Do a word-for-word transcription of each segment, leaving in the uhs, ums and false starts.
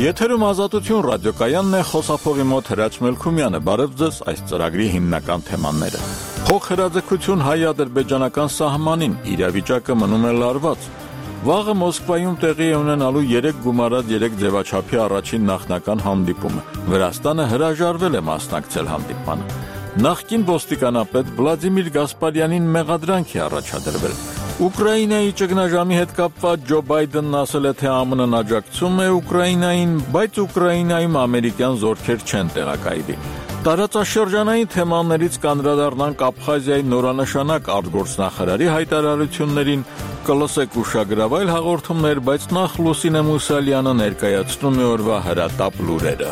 Եթերում Ազատություն ռադիոկայանն է, խոսափողի մոտ Հրաչ Մելքումյանը, բարև ձեզ, այս ծրագրի հիմնական թեմաները։ Փոխհրաձգություն հայ-ադրբեջանական սահմանին, իրավիճակը մնում է լարված։ Վաղը Մոսկվայում տեղի է ունենալու երեք գումարած երեք ձևաչափի առաջին նախնական հանդիպումը։ Վրաստանը հրաժարվել է մասնակցել հանդիպմանը։ Նախկին ոստիկանապետ Վլադիմիր Գասպարյանին մեղադրանք է առաջադրվել։ Ուկրաինայի ճգնաժամի հետ կապված Ջո Բայդենն ասել է, թե ԱՄՆ-ն աջակցում է Ուկրաինային, բայց Ուկրաինայում ամերիկյան զորքեր չեն տեղակայվի։ Տարածաշրջանային թեմաներից կանդրադառնանք Աբխազիայի նորանշանակ արտգործնախարարի հայտարարություններին, կլսեք ուշագրավայր հաղորդումներ, բայց նախ Լուսինե Մուսալյանը ներկայացնում է օրվա հրատապ լուրերը։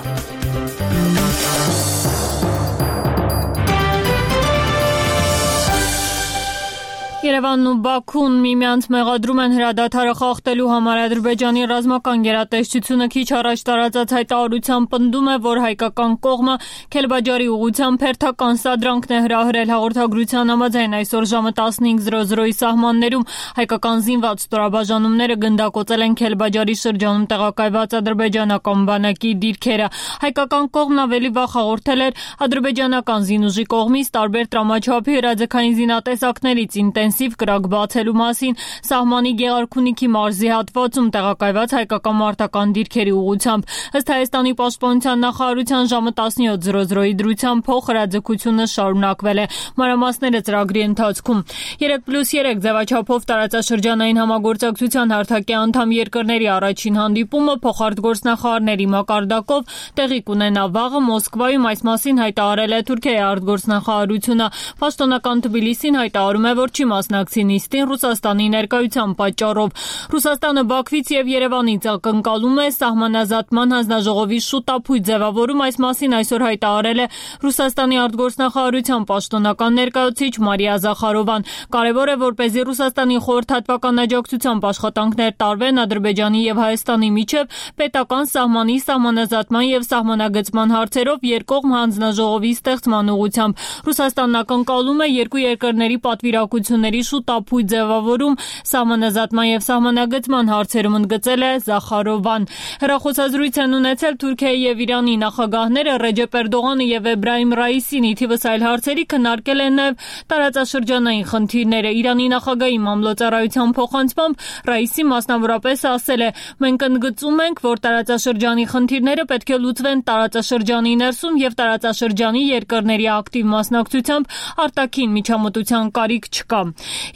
Երևանն ու Բաքուն միմյանց մեղադրում են հրադադարը խախտելու համար։ Ադրբեջանի ռազմական գերատեսչությունը քիչ առաջ տարածած հայտարարությամբ պնդում է, որ հայկական կողմը Քելբաջարի ուղղությամբ հերթական սադրանքն է հրահրել։ Հաղորդագրության համաձայն այսօր ժամը տասնհինգ զրո զրոյի սահմաններում հայկական զինված ստորաբաժանումները գնդակոծել են Քելբաջարի շրջանում տեղակայված ադրբեջանական բանակի դիրքերը։ Հայկական կողմն ավելի վաղ հաղորդել էր ադրբեջանական զինուժի կողմից տարբեր տրամաչափի հրաձգային զինատեսակներից ինտենսիվ կրակ բացելու մասին սահմանի Գեղարքունիքի մարզի հատվածում տեղակայված հայկական մարտական դիրքերի ուղղությամբ։ Ըստ Հայաստանի պաշտպանության նախարարության ժամը տասնյոթ զրո զրոյի դրությամբ փոխհրաձգությունը շարունակվել է։ Մանրամասները ծրագրի ընթացքում։ երեք պլյուս երեք ձևաչափով տարածաշրջանային համագործակցության հարթակի անդամ երկրների առաջին հանդիպումը փոխարտգործնախարարների մակարդակով տեղի կունենա վաղը Մոսկվայում, այս մասին հայտարարել է Թուրքիայի արտգործնախարարությունը։ Պաշտոնական Թբիլիսին հայտարարում է, որ չի մասնակցի նիստին Ռուսաստանի ներկայության պատճառով։ Ռուսաստանը Բաքվից եւ Երևանից ակնկալում է սահմանազատման հանձնաժողովի շուտապույտ ձևավորում, այս մասին այսօր հայտարարել է Ռուսաստանի արտգործնախարարության պաշտոնական ներկայացուցիչ Մարիա Զախարովան։ Կարևոր է, որպեսզի Ռուսաստանի խորհրդատվական աջակցությամբ աշխատանքներ տարվեն Ադրբեջանի եւ Հայաստանի միջև պետական սահմանի սահմանազատման եւ սահմանագծման հարցերով երկկողմ հանձնաժողովի ստեղծման ուղղությամբ։ Ռուսաստանն ակնկալում է երկու երկրների պատվիրակությունների շուտապույտ ձևավորում սահմանազատման եւ սահմանագծման հարցերում, ընդգծել է Զախարովան։ Հեռախոսազրույց են ունեցել Թուրքիայի եւ Իրանի նախագահները Ռեջեփ Էրդողանը եւ Էբրահիմ Ռայիսին, ի թիվս այլ հարցերի քննարկել են նաեւ տարածաշրջանային խնդիրները։ Իրանի նախագահի մամլոյցարայության փոխանցմամբ Ռայիսի մասնավորապես ասել է. «Մենք ընդգծում ենք, որ տարածաշրջանի խնդիրները պետք է լուծվեն տարածաշրջանի ներսում եւ տարածաշրջանի երկրների ակտիվ մասնակցությամբ արտաքին միջամտության կարիք չկա»։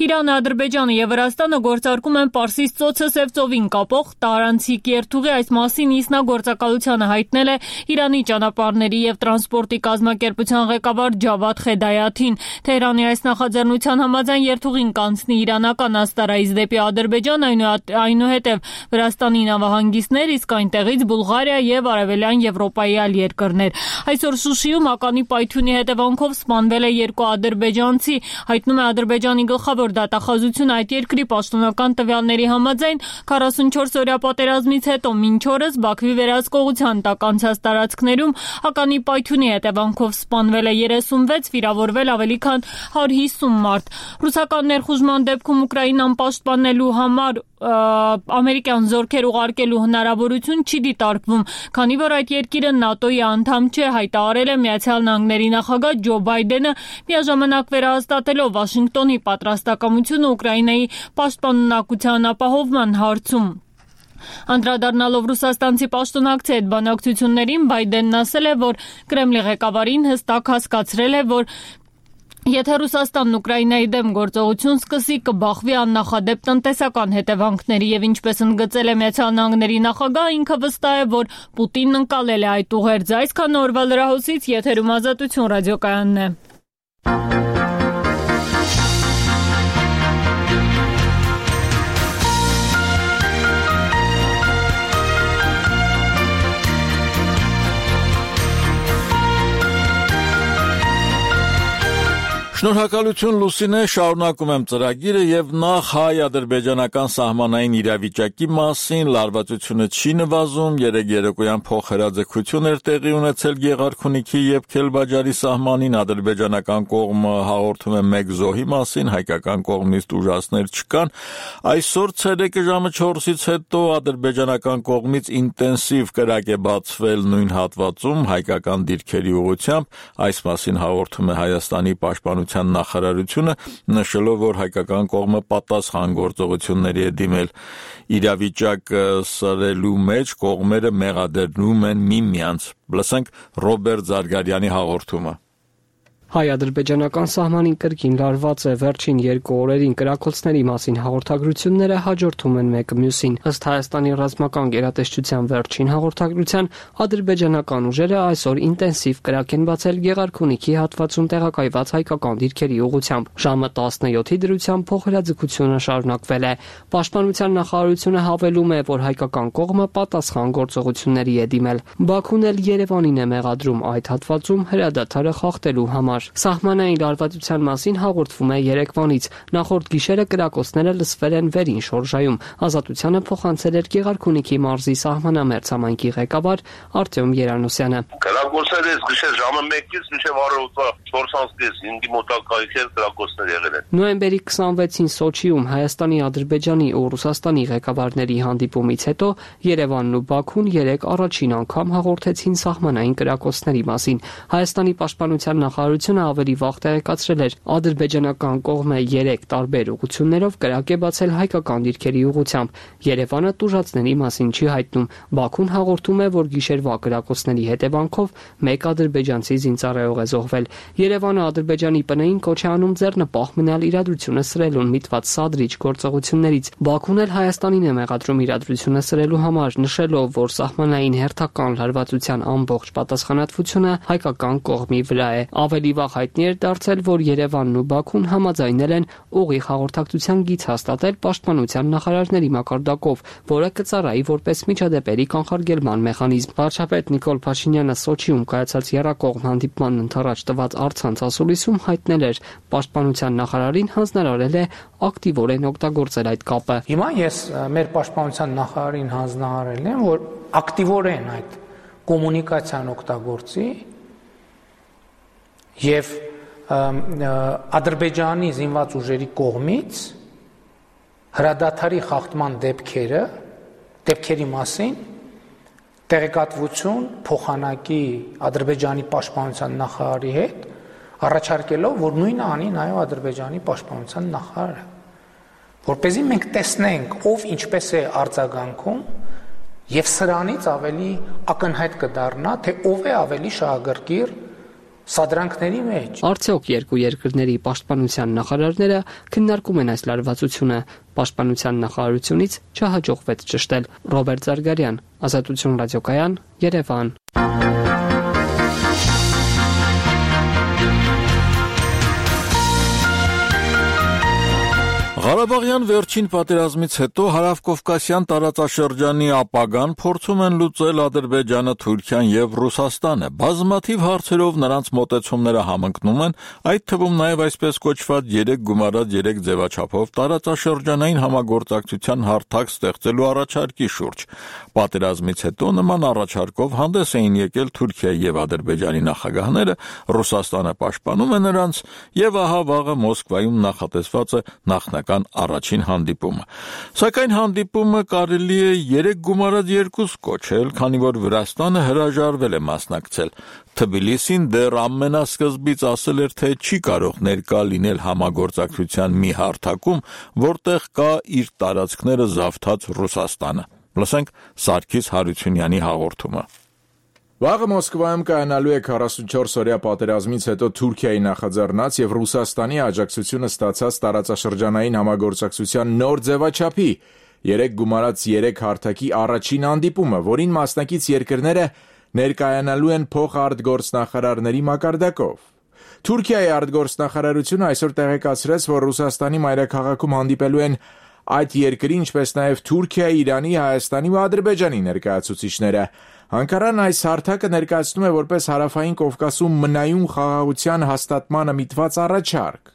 Իրանը, Ադրբեջանը եւ Վրաստանը գործարկում են Պարսից ծոցը Սև ծովին կապող տարանցիկ երթուղի, այս մասին ինքնագործակալությանը հայտնել է Իրանի ճանապարհների եւ տրանսպորտի կազմակերպության ղեկավար Ջավադ Խեդայաթին։ Թեհրանի այս նախաձեռնության համաձայն երթուղին կանցնի իրանական Աստարայից դեպի Ադրբեջան, այնուհետև Վրաստանի նավահանգիստներ, իսկ այնտեղից Բուլղարիա եւ Արևելյան Եվրոպայի այլ երկրներ։ Այսօր Շուշիում ականի պայթյունի հետևանքով սպանվել է երկու ադրբեջանցի, հայտնում է Ադրբեջանի գլխավոր դատախազությունը։ Այդ երկրի պաշտոնական տվյալների համաձայն քառասունչորս օրյա պատերազմից հետո մինչ օրս Բաքվի վերահսկողության տակ անցած տարածքներում ականի պայթյունի հետևանքով սպանվել է երեսունվեց, վիրավորվել ավելի քան հարյուր հիսուն մարդ։ Ռուսական ներխուժման դեպքում Ուկրաինան պաշտպանելու համար ամերիկյան զորքեր ուղարկելու հնարավորություն չի դիտարկվում, քանի որ այդ երկիրը ՆԱՏՕ-ի անդամ չէ, հայտարարել է Միացյալ Նահանգների նախագահ Ջո Բայդենը, միաժամանակ վերահաստատելով Վաշինգտոնի պատրաստակամությունը Ուկրաինայի պաշտպանունակության ապահովման հարցում։ Անդրադառնալով ռուսաստանցի պաշտոնակցի հետ բանակցություններին, Բայդենն ասել է, որ Կրեմլի ղեկավարին հստակ հասկացրել է, որ եթե Ռուսաստանն Ուկրաինայի դեմ գործողություն սկսի, կբախվի աննախադեպ տնտեսական հետևանքների եւ ինչպես ընդգծել է Միացյալ Նահանգների նախագահը, ինքը վստահ է, որ Պուտինն ընկալել է այդ ուղերձը։ Այսքան օրվա լրահոսից, եթերում Ազատություն ռադիոկայանն է։ Շնորհակալություն Լուսինե, շարունակում եմ ծրագիրը եւ նախ հայ-ադրբեջանական սահմանային իրավիճակի մասին լարվածությունը չի նվազում, երեկ երեկոյան փոխհրաձգություն էր տեղի ունեցել Գեղարքունիքի եւ Քելբաջարի սահմանին, ադրբեջանական կողմը հաղորդում է մեկ զոհի մասին, հայկական կողմից ուժասներ չկան, այսօր ցերեկը ժամը չորսից հետո ադրբեջանական կողմից ինտենսիվ կրակ է բացվել նույն հատվածում հայկական դիրքերի ուղղությամբ, այս մասին հաղորդում է Հայաստանի պաշտպանության նախարարությունը, նշելով, որ հայկական կողմը պատասխան գործողությունների է դիմել իրավիճակը սրելու մեջ, կողմերը մեղադրում են միմյանց։ Լսենք Ռոբերտ Զարգարյանի հաղորդումը։ Հայ-ադրբեջանական սահմանին կրկին լարված է, վերջին երկու օրերին կրակոցների մասին հաղորդագրությունները հաջորդում են մեկը մյուսին։ Ըստ Հայաստանի ռազմական գերատեսչության վերջին հաղորդագրության, ադրբեջանական ուժերը այսօր ինտենսիվ կրակ են բացել Գեղարքունիքի հատվածում տեղակայված հայկական դիրքերի ուղղությամբ։ Ժամը տասնյոթի դրությամբ փոխհրաձգությունը շարունակվել է։ Պաշտպանության նախարարությունը հավելում է, որ հայկական կողմը պատասխան գործողությունների է դիմել։ Բաքուն էլ Երևանին է մեղադրում այդ հատվածում հրադադարը խախտելու համար։ Սահմանային լարվածության մասին հաղորդվում է Երևանից։ Նախորդ գիշերը կրակոցները լսվել են վերին շորժայում։ Ազատությանը փոխանցել էր Գեղարքունիքի մարզի սահմանամերձ համայնքի ղեկավար Արտյոմ Երանոսյանը։ Կրակոցները այս գիշեր ժամը մեկից մինչև առավոտվա չորսից հինգի մոտակայքեր կրակոցներ եղել են։ Նոյեմբերի քսանվեցին Սոչիում Հայաստանի, Ադրբեջանի ու Ռուսաստանի ղեկավարների հանդիպումից հետո Երևանն ու Բաքուն երեք առաջին անգամ հաղորդեցին սահմանային կրակոցների մասին։ Հայաստանի պաշտպանության նախարարությունը ավելի վաղ տեղեկացրել էր, ադրբեջանական կողմը երեք տարբեր ուղղություններով կրակ է բացել հայկական դիրքերի ուղղությամբ։ Երևանը տուժածների մասին չի հայտնում։ Բաքուն հաղորդում է, որ գիշերվա կրակոցների հետևանքով մեկ ադրբեջանցի զինծառայող է զոհվել։ Երևանը Ադրբեջանի ՊՆ-ին կոչ է անում ձեռնպահ մնալ իրադրությունը սրելուն միտված սադրիչ գործողություններից։ Բաքուն էլ Հայաստանին է մեղադրում իրադրությունը սրելու համար, նշելով, որ սահմանային հերթական լարվածության ամբողջ պատասխանատվությունը հայկական կողմի վրա է։ Ավելի վաղ հայտնի էր դարձել, որ Երևանն ու Բաքուն համաձայնել են ուղիղ հաղորդակցության գիծ հաստատել պաշտպանության նախարարների մակարդակով, որը կծառայի որպես միջադեպերի կանխարգելման մեխանիզմ։ Վարչապետ Նիկոլ Փաշինյանը Սոչիում կայացած եռակողմ հանդիպման ընթരാճ տված առցանց ասուլիսում հայտնել էր, պաշտպանության նախարարին հանձնարարել է ակտիվորեն օգտագործել այդ կապը։ Հիմա ես մեր պաշտպանության նախարարին հանձնարարել եմ, որ ակտիվորեն այդ կոմունիկացիան օգտագործի եւ Ադրբեջանի զինված ուժերի կողմից հրադադարի խախտման դեպքերը, դեպքերի մասին տեղեկատվություն փոխանակի Ադրբեջանի պաշտպանության նախարարի հետ, առաջարկելով, որ նույնը անի նաեւ Ադրբեջանի պաշտպանության նախարարը, որպեսզի մենք տեսնենք, ով ինչպես է արձագանքում եւ սրանից ավելի ակնհայտ կդառնա, թե ով է ավելի շահագրգիռ սադրանքների մեջ։ Արդյոք երկու երկրների պաշտպանության նախարարները քննարկում են այս լարվածությունը։ Պաշտպանության նախարարությունից չհաջողվեց ճշտել։ Ռոբերտ Զարգարյան, Ազատություն ռադիոկայան, Երևան։ Ղարաբաղյան վերջին պատերազմից հետո հարավկովկասյան տարածաշրջանի ապագան փորձում են լուծել Ադրբեջանը, Թուրքիան եւ Ռուսաստանը։ Բազմաթիվ հարցերով նրանց մոտեցումները համընկնում են, այդ թվում նաեւ այսպես կոչված երեք գումարած երեք ձևաչափով տարածաշրջանային համագործակցության հարթակ ստեղծելու առաջարկի շուրջ։ Պատերազմից հետո նման առաջարկով հանդես էին եկել Թուրքիայի եւ Ադրբեջանի նախագահները, Ռուսաստանը պաշտպանում է նրանց եւ ահա վաղը Մոսկվայում նախատեսված է նախնական առաջին հանդիպումը։ Սակայն հանդիպումը կարելի է երեք գումարած երկուս կոչել, քանի որ Վրաստանը հրաժարվել է մասնակցել։ Թբիլիսին դեռ ամենասկզբից ասել էր, թե չի կարող ներկա լինել համագործակցության մի հարթակում, որտեղ կա իր տարածքները զավթած Ռուսաստանը։ Լսենք Սարգիս Հարությունյանի հաղորդումը։ Վաղը Մոսկվայում կայանալու է քառասունչորս-օրյա պատերազմից հետո Թուրքիայի նախաձեռնած եւ Ռուսաստանի աջակցությունը ստացած տարածաշրջանային համագործակցության նոր ձևաչափի երեք գումարած երեք հարթակի առաջին հանդիպումը, որին մասնակից երկրները ներկայանալու են փոխարտգործնախարարների մակարդակով։ Թուրքիայի արտգործնախարարությունը այսօր տեղեկացրեց, որ Ռուսաստանի մայրաքաղաքում հանդիպելու են այդ երկրի, ինչպես նաև Թուրքիայի, Իրանի, Հայաստանի ու Ադրբեջանի ներկայացուցիչները։ Անկարան այս հարթակը ներկայացնում է որպես Հարավային Կովկասում մնայուն խաղաղության հաստատմանը միտված առաջարկ։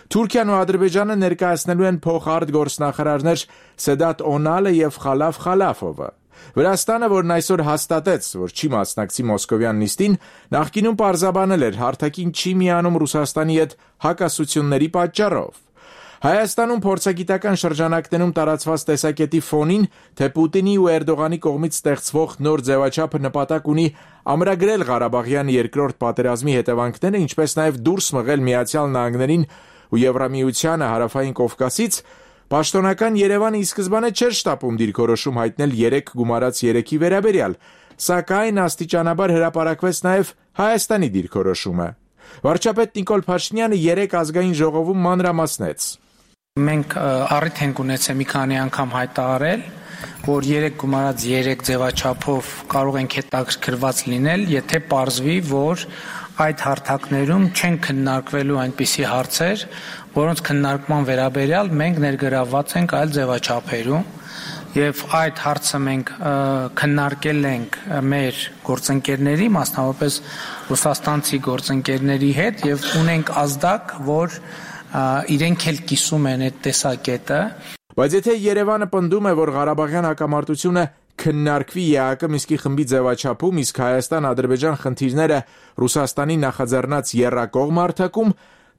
Թուրքիան ու Ադրբեջանը ներկայացնելու են փոխարտ գործնախարարներ Սեդատ Օնալը եւ Խալաֆ Խալաֆովը։ Վրաստանը, որն այսօր հաստատեց, որ չի մասնակցի մոսկովյան նիստին, նախկինում պարզաբանել էր հարթակին չի միանում Ռուսաստանի հետ հակասությունների պատճառով։ Հայաստանում փորձագիտական շրջանակներում տարածված տեսակետի ֆոնին, թե Պուտինի ու Էրդողանի կողմից ստեղծվող նոր ձևաչափը նպատակ ունի ամրագրել Ղարաբաղյան երկրորդ պատերազմի հետևանքները, ինչպես նաև դուրս մղել Միացյալ Նահանգներին ու Եվրամիությանը Հարավային Կովկասից, պաշտոնական Երևանը ի սկզբանե չէր շտապում դիրքորոշում հայտնել երեք գումարած երեքի վերաբերյալ, սակայն աստիճանաբար հրապարակվեց նաև Հայաստանի դիրքորոշումը։ Վարչապետ Նիկոլ Փաշինյանը երեք ազգային ժողովում մանրամասնեց. Մենք առիթ ենք ունեցել մի քանի անգամ հայտարարել, որ երեք գումարած երեք ձևաչափով կարող ենք հետաքրքրված լինել, եթե պարզվի, որ այդ հարթակներում չեն քննարկվելու այնպիսի հարցեր, որոնց քննարկման վերաբերյալ մենք ներգրավված ենք այլ ձևաչափերում, եւ այդ հարցը մենք քննարկել ենք մեր գործընկերների, մասնավորապես ռուսաստանցի գործընկերների հետ եւ ունենք ազդակ, որ իրենք էլ կիսում են այդ տեսակետը։ Բայց եթե Երևանը պնդում է, որ Ղարաբաղյան հակամարտությունը քննարկվի ԵԱԿ Մինսկի խմբի ձևաչափում, իսկ Հայաստան-Ադրբեջան խնդիրները Ռուսաստանի նախաձեռնած եռակողմ հարթակում,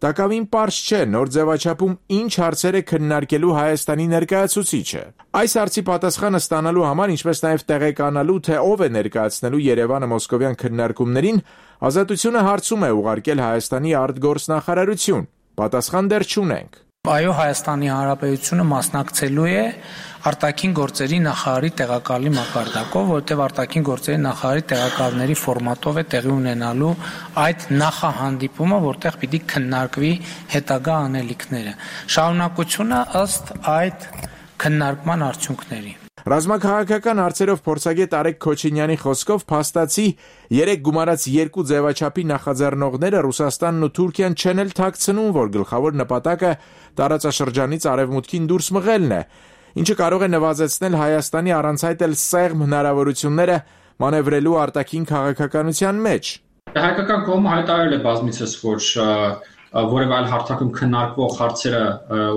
տակավին պարզ չէ նոր ձևաչափում ինչ հարցեր է քննարկելու Հայաստանի ներկայացուցիչը։ Այս հարցի պատասխանը ստանալու համար, ինչպես նաև տեղեկանալու, թե ով է ներկայացնելու Երևանը մոսկովյան քննարկումներին, Ազատությունը հարցում է ուղարկել Հայաստանի արտգործնախարարություն։ Պատասխան դեռ չունենք։ Այո, Հայաստանի Հանրապետությունը մասնակցելու է արտաքին գործերի նախարարի տեղակալի մակարդակով, որտեղ արտաքին գործերի նախարարի տեղակալների ֆորմատով է տեղի ունենալու այդ նախահանդիպումը, որտեղ պիտի քննարկվի հետագա անելիքները։ Շարունակությունը ըստ այդ քննարկման արդյունքների։ Ռազմաքաղաքական հարցերով փորձագետ Արեգ Քոչինյանի խոսքով փաստացի երեք գումարած երկու ձևաչափի նախաձեռնողները Ռուսաստանն ու Թուրքիան չեն էլ թաքցնում, որ գլխավոր նպատակը տարածաշրջանից արևմուտքին դուրս մղելն է, ինչը կարող է նվազեցնել Հայաստանի առանց այդ էլ սեղմ հնարավորությունները մանևրելու արտաքին քաղաքականության մեջ։ Հայկական կողմը հայտարարել է բազմիցս, որ որևէ այլ հարթակում քննարկվող հարցերը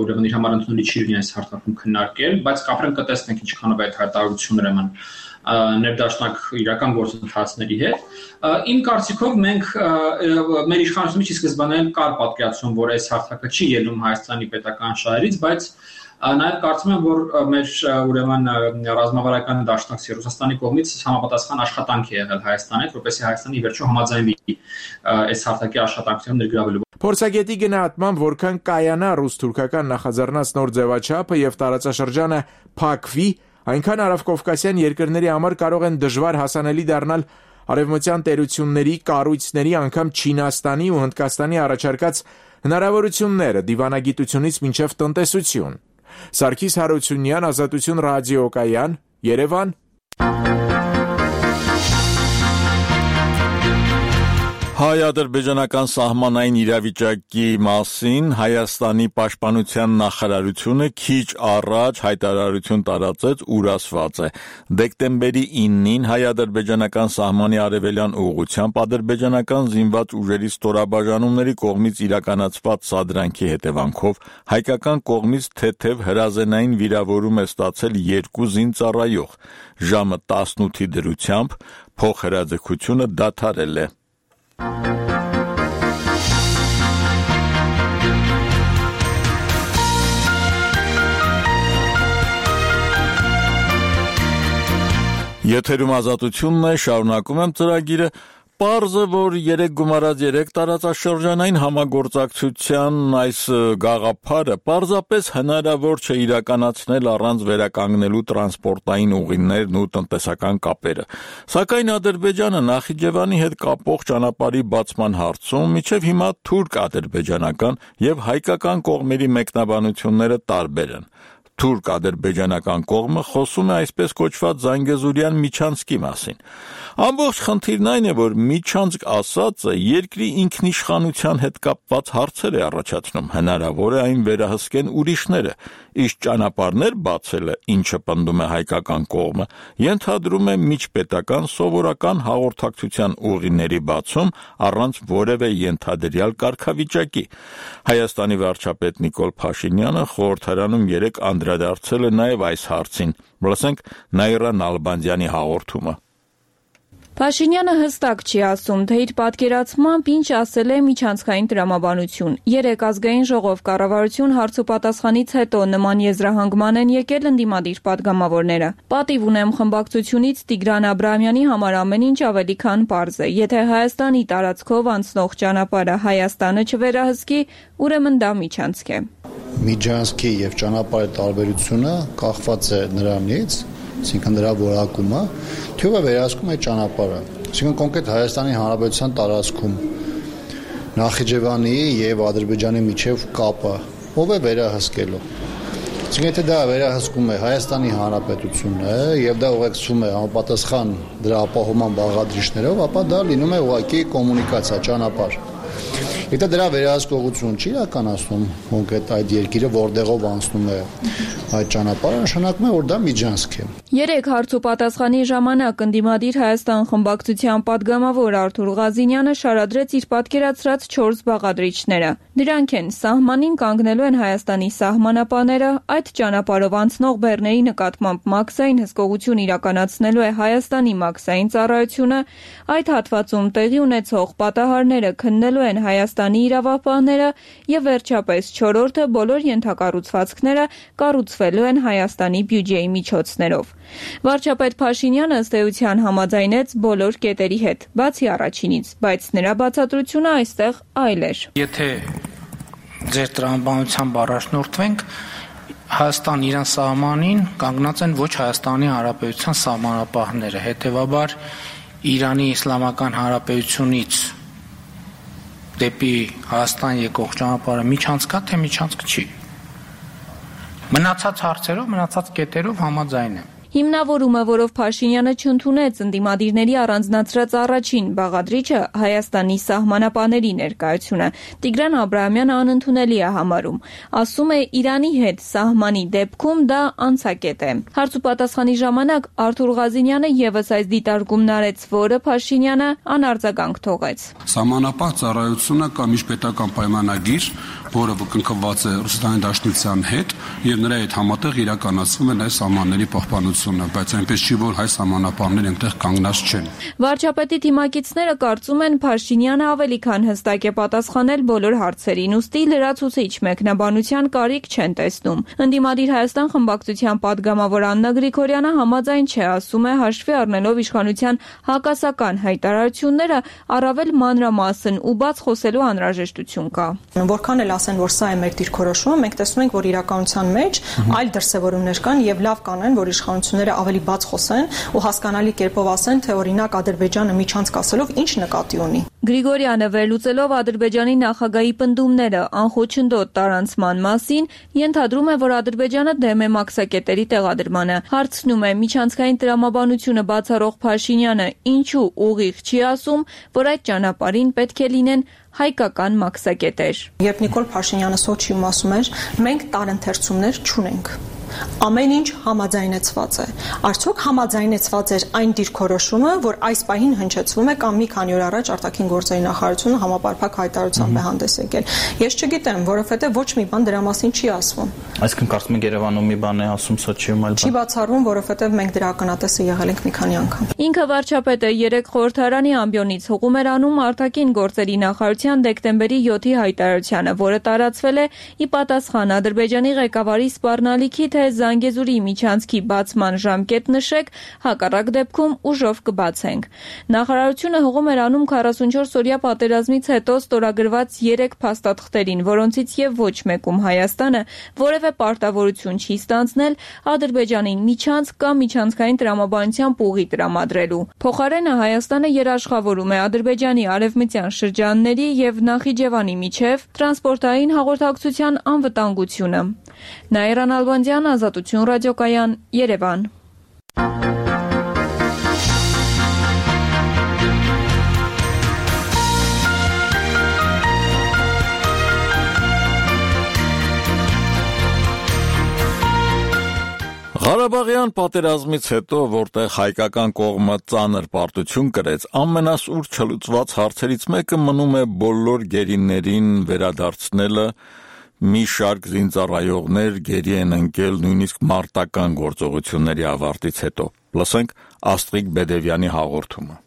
ուրեմն իր համար ընդունելի չի լինի այս հարթակում քննարկել, բայց կապրեն կտեսնենք ինչքանով այդ հայտարարությունները ման ներդաշնակ իրական գործընթացների հետ։ Իմ կարծիքով մենք մեր իշխանությունից ի սկզբանե կար պատկերացում, որ այս հարթակը չի ելնում Հայաստանի պետական շահերից, բայց Նաև կարծում եմ, որ մեր ուրեմն ռազմավարական դաշնակցի Ռուսաստանի կողմից համապատասխան աշխատանք է եղել Հայաստանի հետ, որպեսզի Հայաստանը ի վերջո համաձայնվի այս հարթակի աշխատանքներում ներգրավելու։ Փորձագետի գնահատմամբ, որքան կայանա ռուս-թուրքական նախաձեռնած նոր ձևաչափը եւ տարածաշրջանը փակվի, այնքան արևկովկասյան երկրների համար կարող են դժվար հասանելի դառնալ արևմտյան տերությունների, կառույցների, անգամ Չինաստանի ու Հնդկաստանի առաջարկած հնարավորությունները դիվանագիտությունից մինչև տնտեսություն։ Սարգիս Հարությունյան, Ազատություն ռադիոկայան, Երևան։ Հայ-ադրբեջանական սահմանային իրավիճակի մասին Հայաստանի պաշտպանության նախարարությունը քիչ առաջ հայտարարություն տարածեց, ուր ասված է. դեկտեմբերի իննին հայ-ադրբեջանական սահմանի արևելյան ուղղությամբ ադրբեջանական զինված ուժերի ստորաբաժանումների կողմից իրականացված սադրանքի հետևանքով հայկական կողմից թեթև հրազենային վիրավորում է ստացել երկու զինծառայող, ժամը տասնութի դրությամբ փոխհրաձգությունը դադարել է։ Եթերում Ազատությունն է, շարունակում եմ ծրագիրը։ Պարզ է, որ երեք գումարած երեք տարածաշրջանային համագործակցության այս գաղափարը պարզապես հնարավոր չէ իրականացնել առանց վերականգնելու տրանսպորտային ուղիներն ու տնտեսական կապերը։ Սակայն Ադրբեջանը Նախիջևանի հետ կապող ճանապարհի բացման հարցում մինչև հիմա թուրք-ադրբեջանական եւ հայկական կողմերի մեկնաբանությունները տարբեր են։ Թուրք-ադրբեջանական կողմը խոսում է այսպես կոչված Զանգեզուրյան միջանցքի մասին։ Ամբողջ խնդիրն այն է, որ միջանցք ասածը երկրի ինքնիշխանության հետ կապված հարցեր է առաջացնում, հնարավոր է այն վերահսկեն ուրիշները, իսկ ճանապարհներ բացելը, ինչը պնդում է հայկական կողմը, ենթադրում է միջպետական սովորական հաղորդակցության ուղիների բացում առանց որևէ ենթադրյալ կարգավիճակի։ Հայաստանի վարչապետ Նիկոլ Փաշինյանը խորհրդարանում երեկ անդրադարձել է նաև այս հարցին։ Լսենք Նաիրա Նալբանդյանի հաղորդումը։ Փաշինյանը հստակ չի ասում, թե իր պատկերացմամբ ինչ ասել է միջանցքային տրամաբանություն։ Երեկ ազգային ժողով կառավարություն հարցուպատասխանից հետո նման եզրահանգման են եկել ընդդիմադիր պատգամավորները։ Պատիվ ունեմ խմբակցությունից Տիգրան Աբրահամյանի համար ամեն ինչ ավելի քան պարզ է։ Եթե Հայաստանի տարածքով անցնող ճանապարհը Հայաստանը չվերահսկի, ուրեմն դա միջանցք է։ Միջանցքի եւ ճանապարհի տարբերությունը կախված է նրանից, այսինքն դրա որակումը, թե ով է վերահսկում այդ ճանապարհը։ Այսինքն կոնկրետ Հայաստանի Հանրապետության տարածքում Նախիջևանի եւ Ադրբեջանի միջև կապը ով է վերահսկելու։ Այսինքն եթե դա վերահսկում է Հայաստանի Հանրապետությունը եւ դա ուղեկցում է համապատասխան դրա ապահովման բաղադրիչներով, ապա դա լինում է ուղղակի կոմունիկացիա, ճանապարհ։ Եթե դրա վերահսկողություն չի իրականացնում կոնկրետ այդ երկիրը, որտեղով անցնում է այդ ճանապարհը, նշանակում է, որ դա միջանցք է։ Երեք հարցուպատասխանի ժամանակ ընդդիմադիր Հայաստան խմբակցության պատգամավոր Արթուր Ղազինյանը շարադրեց իր պատկերացրած չորս բաղադրիչները։ Դրանք են սահմանին կանգնելու են Հայաստանի սահմանապահները, այդ ճանապարհով անցնող բեռների նկատմամբ մաքսային հսկողություն իրականացնելու է Հայաստանի մաքսային ծառայությունը, այդ հատվածում տեղի ունեցող պատահարները քննելու են Հայաստանի իրավապահները եւ վերջապես չորրորդը բոլոր ենթակառուցվածքները կառուցվելու են Հայաստանի բյուջեի միջոցներով։ Վարչապետ Փաշինյանը ըստ էության համաձայնեց բոլոր կետերի հետ, բացի առաջինից, բայց նրա բացատրությունը այստեղ այլ էր։ Եթե ձեր տրամաբանությամբ առաջնորդվենք, Հայաստան իրան սահմանին կանգնած են ոչ Հայաստանի Հանրապետության սահմանապահները, հետևաբար Իրանի Իսլամական Հանրապետությունից դեպի Հայաստան եկող ճանապարհը միջանցք է, թե միջանցք չի։ Մնացած հարցերով, մնացած կետերով համաձայն եմ։ Հիմնավորումը, որով Փաշինյանը չընդունեց ընդդիմադիրների առանձնացրած առաջին բաղադրիչը Հայաստանի սահմանապահների ներկայությունը, Տիգրան Աբրահամյանը անընդունելի է համարում։ Ասում է Իրանի հետ սահմանի դեպքում դա անցակետ է։ Հարցուպատասխանի ժամանակ Արթուր Ղազինյանը եւս այս դիտարկումն արեց, որը Փաշինյանը անարձագանք թողեց։ Սահմանապահ ծառայությունը կամ միջպետական պայմանագիր, որը կնքված է Ռուսաստանի Դաշնության հետ, եւ նրա հետ համատեղ իրականացվում են այս սահմանների պահպանությունը, բայց այնպես չի, որ հայ սահմանապահները այնտեղ կանգնած չեն։ Վարչապետի թիմակիցները կարծում են Փաշինյանը ավելի քան հստակ է պատասխանել բոլոր հարցերին, ուստի լրացուցիչ մեկնաբանության կարիք չեն տեսնում։ Ընդդիմադիր Հայաստան խմբակցության պատգամավոր Աննա Գրիգորյանը համաձայն չէ, ասում է հաշվի առնելով իշխանության հակասական հայտարարությունները, առավել մանրամասն ու բաց խոսելու անհրաժեշտություն կա։ Որքան էլ ասեն, որ սա է մեր դիրքորոշումը, մենք տեսնում ենք, որ իրականության մեջ այլ դրսևորումներ կան եւ լավ կանեն, որ իշխանությունները ավելի բաց խոսեն ու հասկանալի կերպով ասեն, թե օրինակ Ադրբեջանը միջանցք ասելով ինչ նկատի ունի։ Գրիգորյանը վերլուծելով Ադրբեջանի նախագահի պնդումները անխոչնդոտ տարանցման մասին, ենթադրում է, որ Ադրբեջանը դեմ է մաքսակետերի տեղադրմանը։ Հարցնում է միջանցքային տրամաբանությունը բացառող Փաշինյանը ինչու ուղիղ չի ասում, որ այդ ճանապարհին պետք է լինեն հայկական մաքսակետեր։ Երբ Նիկոլ Փաշինյանը Սոչիում ասում էր, մենք տարընթերցումներ չունենք։ Ամեն ինչ համաձայնեցված է։ Արդյոք համաձայնեցված էր այն դիրքորոշումը, որ այս պահին հնչեցվում է կամ մի քանի օր առաջ արտաքին գործերի նախարարությունը համապարփակ հայտարարությամբ է հանդես եկել։ Ես չգիտեմ, որովհետև ոչ մի բան դրա մասին չի ասվում։ Այսինքն կարծում եք Երևանում մի բան է ասում, Սոչիում այլ բան։ Չի բացառվում, որովհետև մենք դրա ականատեսը եղել ենք մի քանի անգամ։ Ինքը վարչապետը երեք խորհրդարանի ամբիոնից հողում էր անում արտաքին գործերի նախարարության դեկտեմբերի յոթի հայտարարությանը, որը տարածվել է ի պատասխան Ադրբեջանի ղեկավարի սպառնալիքի, թե Զանգեզուրի միջանցքի բացման ժամկետ նշեք, հակառակ դեպքում ուժով կբացենք։ Նախարարությունը հողում էր անում քառասունչորս-օրյա պատերազմից հետո ստորագրված երեք փաստաթղթերին, որոնցից եւ ոչ մեկում Հայաստանը որևէ պարտավորություն չի ստանձնել Ադրբեջանին միջանցք կամ միջանցքային տրամաբանությամբ ուղի տրամադրելու։ Փոխարենը Հայաստանը երաշխավորում է Ադրբեջանի արևմտյան շրջանների եւ Նախիջևանի միջև տրանսպորտային հաղորդակցության անվտանգությունը։ Նաիրան Ալբանդյան, Ազատություն ռադիոկայան, Երևան։ Ղարաբաղյան պատերազմից հետո, որտեղ հայկական կողմը ծանր պարտություն կրեց, ամենասուր չլուծված հարցերից մեկը մնում է բոլոր գերիներին վերադարձնելը, մի շարք զինծառայողներ գերի են ընկել նույնիսկ մարտական գործողությունների ավարտից հետո։ Լսենք Աստղիկ Բեդևյանի հաղորդումը։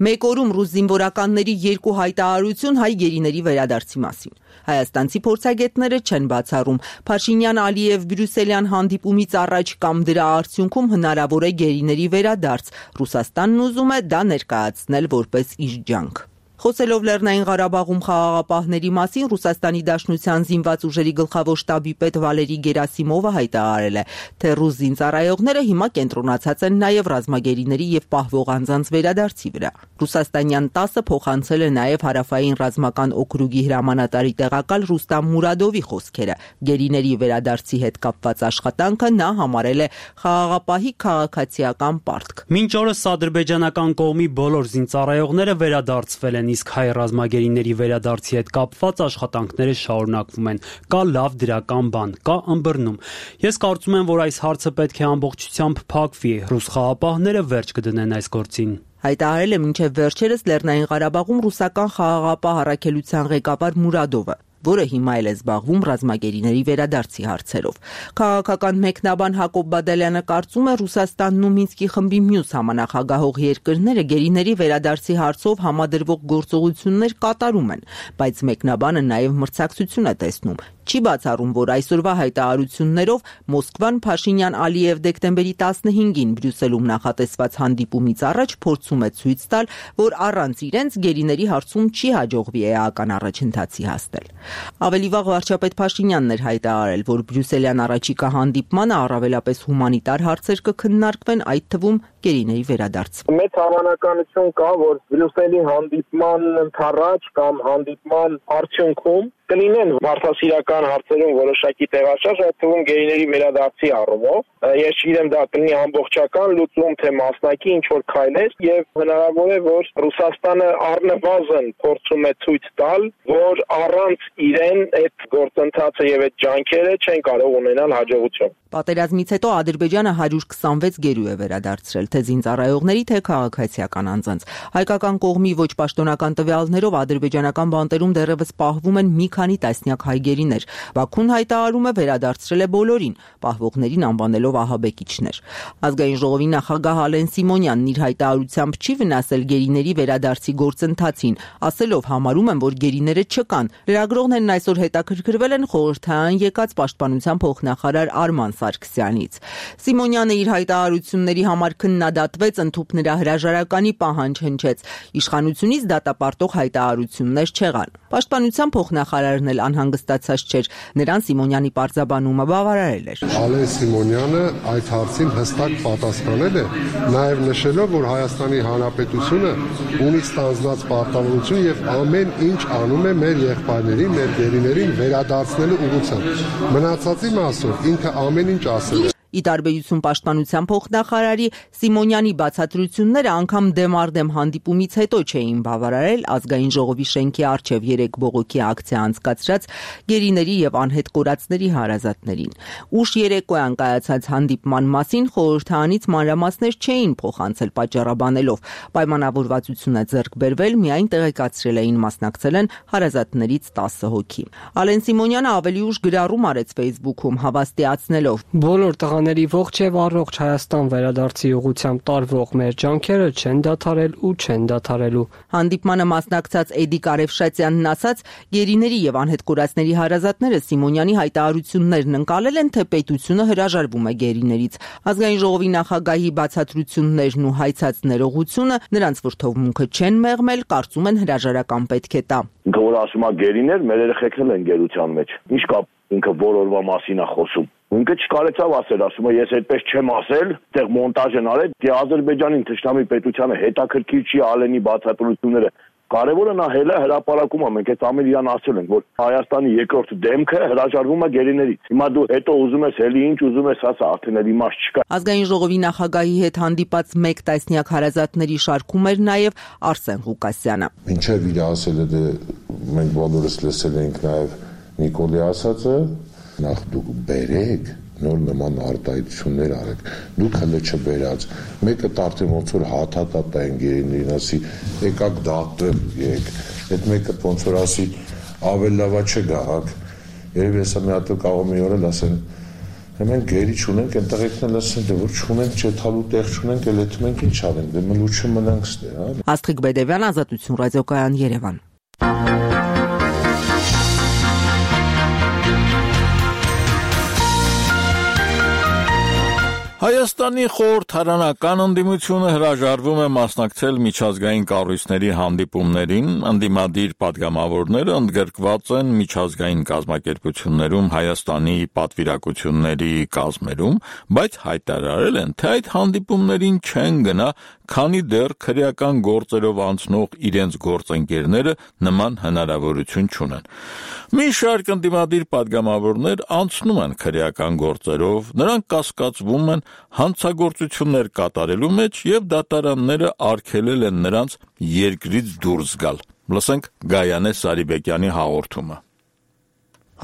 Մեկ օրում ռուս զինվորականների երկու հայտարարություն հայ գերիների վերադարձի մասին։ Հայաստանցի փորձագետները չեն բացառում Փաշինյան-Ալիև բրյուսելյան հանդիպումից առաջ կամ դրա արդյունքում հնարավոր է գերիների վերադարձ։ Ռուսաստանն ուզում է դա ներկայացնել որպես իր ջանք։ Խոսելով Լեռնային Ղարաբաղում խաղաղապահների մասին, Ռուսաստանի Դաշնության զինված ուժերի գլխավոր շտաբի պետ Վալերի Գերասիմովը հայտարարել է, թե ռուս զինծառայողները հիմա կենտրոնացած են նաև ռազմագերիների եւ պահվող անձանց վերադարձի վրա։ Ռուսաստանյան տասը փոխանցել է նաև հարավային ռազմական օկրուգի հրամանատարի տեղակալ Ռուստամ Մուրադովի խոսքերը։ Գերիների վերադարձի հետ կապված աշխատանքը նա համարել է խաղաղապահի քաղաքացիական պարտք։ Մինչ օրս ադրբեջանական կողմի բոլոր զինծառայողները վերադարձվել են, իսկ հայ ռազմագերիների վերադարձի հետ կապված աշխատանքները շարունակվում են։ Կա լավ դրական բան, կա ըմբռնում։ Ես կարծում եմ, որ այս հարցը պետք է ամբողջությամբ փակվի։ Ռուս խաղաղապահները վերջ կդնեն այս գործին։ Հայտարարել է մինչև վերջերս Լեռնային Ղարաբաղում ռուսական խաղաղապահ առաքելության ղեկավար Մուրադովը, որը հիմա էլ է զբաղվում ռազմագերիների վերադարձի հարցերով։ Քաղաքական մեկնաբան Հակոբ Բադալյանը կարծում է, Ռուսաստանն ու Մինսկի խմբի մյուս համանախագահող երկրները գերիների վերադարձի հարցով համադրվող գործողություններ կատարում են, բայց մեկնաբանը նաև մրցակցություն է տեսնում։ Չի բացառում, որ այսօրվա հայտարարություններով Մոսկվան Փաշինյան-Ալիև դեկտեմբերի տասնհինգին Բրյուսելում նախատեսված հանդիպումից առաջ փորձում է ցույց տալ, որ առանց իրենց գերիների հարցում չի հաջողվի էական առաջընթացի հասնել։ Ավելի վաղ վարչապետ Փաշինյանն էր հայտարարել, որ Բրյուսելյան առաջիկա հանդիպմանը առավելապես հումանիտար հարցեր կքննարկվեն, այդ թվում գերիների վերադարձ։ Մեծ հավանականություն կա, որ Բրյուսելի հանդիպման ընթառաջ կամ հանդիպման արդյունքում կլինեն մարդասիրական հարցերում որոշակի տեղաշարժ, այդ թվում գերիների վերադարձի առումով։ Ես չգիտեմ դա կլինի ամբողջական լուծում, թե մասնակի ինչ որ քայլեր, եւ հնարավոր է, որ Ռուսաստանը առնվազն փորձում է ցույց տալ, որ առանց իրեն այդ գործընթացը եւ այդ ջանքերը չեն կարող ունենալ հաջողություն։ Պատերազմից հետո Ադրբեջանը հարյուր քսանվեց գերու է վերադարձրել, թե զինծառայողների, թե քաղաքացիական անձանց։ Հայկական կողմի ոչ պաշտոնական տվյալներով ադրբեջանական բանտերում դեռևս պահվում են մի քանի տասնյակ հայ գերիներ։ Բաքուն հայտարարում է վերադարձրել է բոլորին, պահվողներին անվանելով ահաբեկիչներ։ Ազգային ժողովի նախագահ Ալեն Սիմոնյանն իր հայտարարությամբ չի վնասել գերիների վերադարձի գործընթացին, ասելով համարում եմ, որ գերիները չկան։ Լրագրողներն այսօր հետաքրքրվել են խորհրդային եկած պաշտպանության փոխնախարար Արման Սարգսյանից։ Սիմոնյանը իր հայտարարությունների համար քննադատվեց, ընդհուպ նրա հրաժարականի պահանջ հնչեց։ Իշխանությունից դատապարտող հայտարարություններ չեղան։ Պաշտպանության փոխնախարարն էլ անհանգստացած չէր, նրան Սիմոնյանի պարզաբանումը բավարարել էր։ Ալեն Սիմոնյանը այդ հարցին հստակ պատասխանել է, նաև նշելով, որ Հայաստանի Հանրապետությունը ունի ստանձնած պարտավորություն եւ ամեն ինչ անում է մեր եղբայրներին, մեր գերիներին վերադարձնելու ուղղությամբ։ Մնացածի մասով ինքը ամեն ինչ ասել է։ Ի տարբերություն պաշտպանության փոխնախարարի, Սիմոնյանի բացատրությունները անգամ դեմարդեմ հանդիպումից հետո չէին բավարարել ազգային ժողովի շենքի առջև երեք բողոքի ակցիա անցկացրած գերիների եւ անհետ կորածների հարազատներին։ Ուշ երեկոյան կայացած հանդիպման մասին խորհրդարանից մանրամասներ չէին փոխանցել պատճառաբանելով, պայմանավորվածություն է ձեռք բերվել, միայն տեղեկացրել էին մասնակցել են հարազատներից տասը հոգի։ Ալեն Սիմոնյանը ավելի ուշ գրառում արեց Facebook-ում, հավաստիացնելով. Բոլոր տղաների ողջ եւ առողջ Հայաստան վերադարձի ուղղությամբ տարվող մեր ջանքերը չեն դադարել ու չեն դադարելու։ Հանդիպմանը մասնակցած Էդիկ Արևշատյանն ասաց, գերիների եւ անհետ կորածների հարազատները Սիմոնյանի հայտարարություններն ընկալել են, թե պետությունը հրաժարվում է գերիներից։ Ազգային ժողովի նախագահի բացատրություններն ու հայցած ներողությունը նրանց վրդովմունքը չեն մեղմել, կարծում են հրաժարական պետք է տա։ Ինքը որ ասում է գերիներ, մեր երեխեքն են գերության մեջ։ Ինչ կապ ինքը բոլորվա մասին է խոսում։ Ինքը չկարեցավ ասել, ասում է ես այդպես չեմ ասել, այդտեղ մոնտաժ են արել, դե Ադրբեջանին թշնամի պետությանը հետաքրքիր չի Ալենի բացատրությունները, Կարևորը նա հելը հրապարակումը մենք այդ ամեն իրան ասել ենք, որ Հայաստանի երկրորդ դեմքը հրաժարվում է գերիներից։ Հիմա դու հետո ուզում ես էլի ինչ ուզում ես ասա, արդեն էլ իմաստ չկա։ Ազգային ժողովի նախագահի հետ հանդիպած մեկ տասնյակ հարազատների շարքում էր նաև Արսեն Ղուկասյանը։ Մինչև իր ասելը դե մենք բոլորս լսել ենք նաև Նիկոլի ասածը, նախ դուք բերեք նոր նման արտահայտություններ արեք, դուք հələ չբերած, մեկը արդեն ոնց որ հաթաթատա են գերիներին ասի, եկակ դատել եք, այդ մեկը ոնց որ ասի, ավել լավա չգահակ, երևի հեսա մի հատ կարող մի օր էլ ասեն, մենք գերի չունենք, այն տղեկն էլ ասեն, դե որ չունենք, չեթալու տեղ չունենք, էլ էդ մենք ինչ արենք, դե մլուչը մնանք ստե, հա։ Աստղիկ Բեդևյան, Ազատություն ռադիոկայան, Երևան։ Հայաստանի խորհրդարանական ընդդիմությունը հրաժարվում է մասնակցել միջազգային կառույցների հանդիպումներին, ընդդիմադիր պատգամավորները ընդգրկված են միջազգային կազմակերպություններում Հայաստանի պատվիրակությունների կազմերում, բայց հայտարարել են, թե այդ հանդիպումներին չեն գնա, քանի դեռ քրեական գործերով անցնող իրենց գործընկերները նման հնարավորություն չունեն։ Մի շարք ընդդիմադիր պատգամավորներ անցնում են քրեական գործերով, նրանք կասկածվում են հանցագործություններ կատարելու մեջ եւ դատարանները արգելել են նրանց երկրից դուրս գալ։ Լսենք Գայանե Սարիբեկյանի հաղորդումը։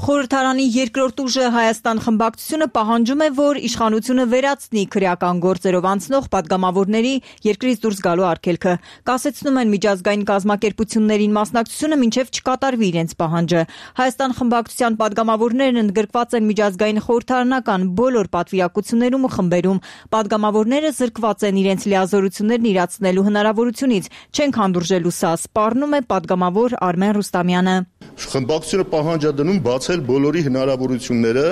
Խորհրդարանի երկրորդ ուժը Հայաստան խմբակցությունը պահանջում է, որ իշխանությունը վերացնի քրեական գործերով անցնող պատգամավորների երկրից դուրս գալու արգելքը։ Կասեցնում են միջազգային կազմակերպություններին մասնակցությունը մինչև չկատարվի իրենց պահանջը։ Հայաստան խմբակցության պատգամավորներն ընդգրկված են միջազգային խորհրդարանական բոլոր պատվիրակություններում ու խմբերում։ Պատգամավորները զրկված են իրենց լիազորություններն իրացնելու հնարավորությունից, չենք հանդուրժելու սա, սպառնում է պատգամավոր Արմեն Ռուստամյանը։ Խմբակցությունը պահանջադնում բացել բոլորի հնարավորությունները,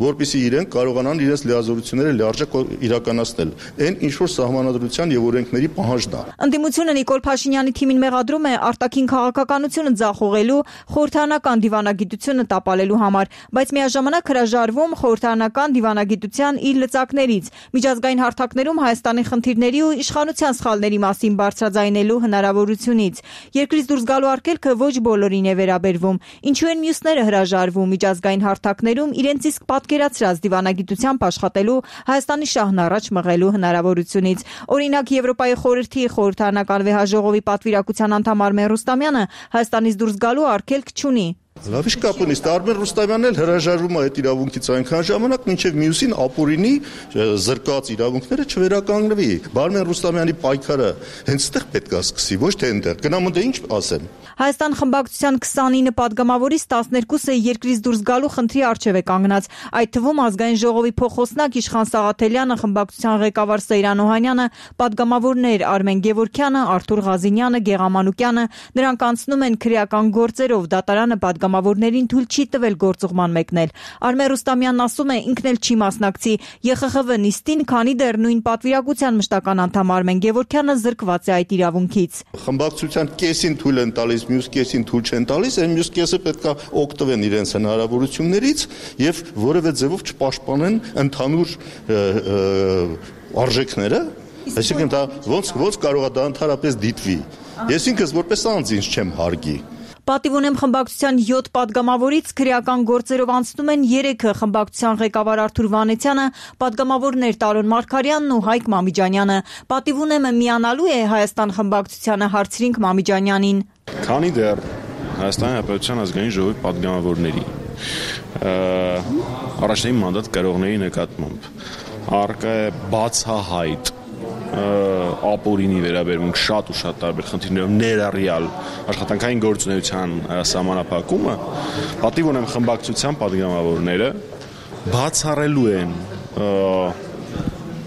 որպեսզի իրենք կարողանան իրենց լիազորությունները լիարժեք իրականացնել։ Այն ինչ որ սահմանադրության եւ օրենքների պահանջն է։ Ընդդիմությունը Նիկոլ Փաշինյանի թիմին մեղադրում է արտաքին քաղաքականությունը ձախողելու, խորհրդարանական դիվանագիտությունը տապալելու համար, բայց միաժամանակ հրաժարվում խորհրդարանական դիվանագիտության իր լծակներից, միջազգային հարթակներում Հայաստանի խնդիրների ու իշխանության սխալների մասին բարձրաձայնելու հնարավորությունից։ Երկրից դուրս գալու արգելքը ոչ բոլորին է վերաբերվում։ Ինչու են մյուսները հրաժարվում միջազգային հարթակներում իրենց իսկ պատկերացրած դիվանագիտությամբ աշխատելու, Հայաստանի շահն առաջ մղելու հնարավորությունից։ Օրինակ Եվրոպայի խորհրդի խորհրդարանական վեհաժողովի պատվիրակության անդամ Արմեն Ռուստամյանը Հայաստանից դուրս գալու արգելք չունի։ Լավ իսկ կապունիստ Արմեն Ռուստամյանն էլ հրաժարվում է այդ իրավունքից այնքան ժամանակ, մինչև մյուսին ապօրինի զրկած իրավունքները չվերականգնվի։ Արմեն Ռուստամյանի պայքարը հենց այդտեղ պետք է սկսի, ոչ թե այնտեղ։ Գնամ ընդ ինչ ասեմ։ Հայաստան խմբակցության քսանինը պատգամավորից տասներկուսը երկրից դուրս գալու խնդրի առջև է կանգնած։ Այդ թվում ազգային ժողովի փոխոսնակ Իշխան Սաղաթելյանը, խմբակցության ղեկավար Սեյրան Օհանյանը, պատգամավորներ Արմեն Գևորգյանը, Արթուր Ղազինյանը, Գեղամ Մանուկյանը, նրանք անցնում են քրեական գործերով, դատարանը պատգամավորներին թույլ չի տվել գործուղման մեկնել։ Արմեն Ռուստամյանն ասում է, ինքն էլ չի մասնակցի Ե Խ Խ Վ նիստին, քանի դեռ նույն պատվիրակության մշտական անդամ Արմեն Գևորգյանը զրկված է այդ իրավունքից։ Խմբակցության կեսին թույլ են տալիս, մյուս կեսին թույլ չեն տալիս, այն մյուս կեսը պետք է օգտվեն իրենց հնարավորություններից եւ որևէ ձևով չպաշտպանեն ընդհանուր արժեքները, այսինքն դա ոնց ոնց կարող է դա ընդհանրապես դիտվի։ Ես ինքս որպես անձ ինձ չեմ հարգի։ Պատիվ ունեմ խմբակցության յոթ պատգամավորից քրեական գործերով անցնում են երեքը խմբակցության ղեկավար Արթուր Վանեցյանը, պատգամավորներ Տարոն Մարգարյանն ու Հայկ Մամիջանյանը։ Պատիվ ունեմը միանալու է Հայաստան խմբակցությանը, հարցրինք Մամիջանյանին։ Քանի դեռ Հայաստանի Հանրապետության ազգային ժողովի պատգամավորների առաջին մանդատ կրողների նկատմամբ առկա է բացահայտ ապօրինի վերաբերմունք շատ ու շատ տարբեր խնդիրներով ներառյալ աշխատանքային գործունեության սահմանափակումը, պատիվ ունեմ խմբակցության պատգամավորները բացառելու են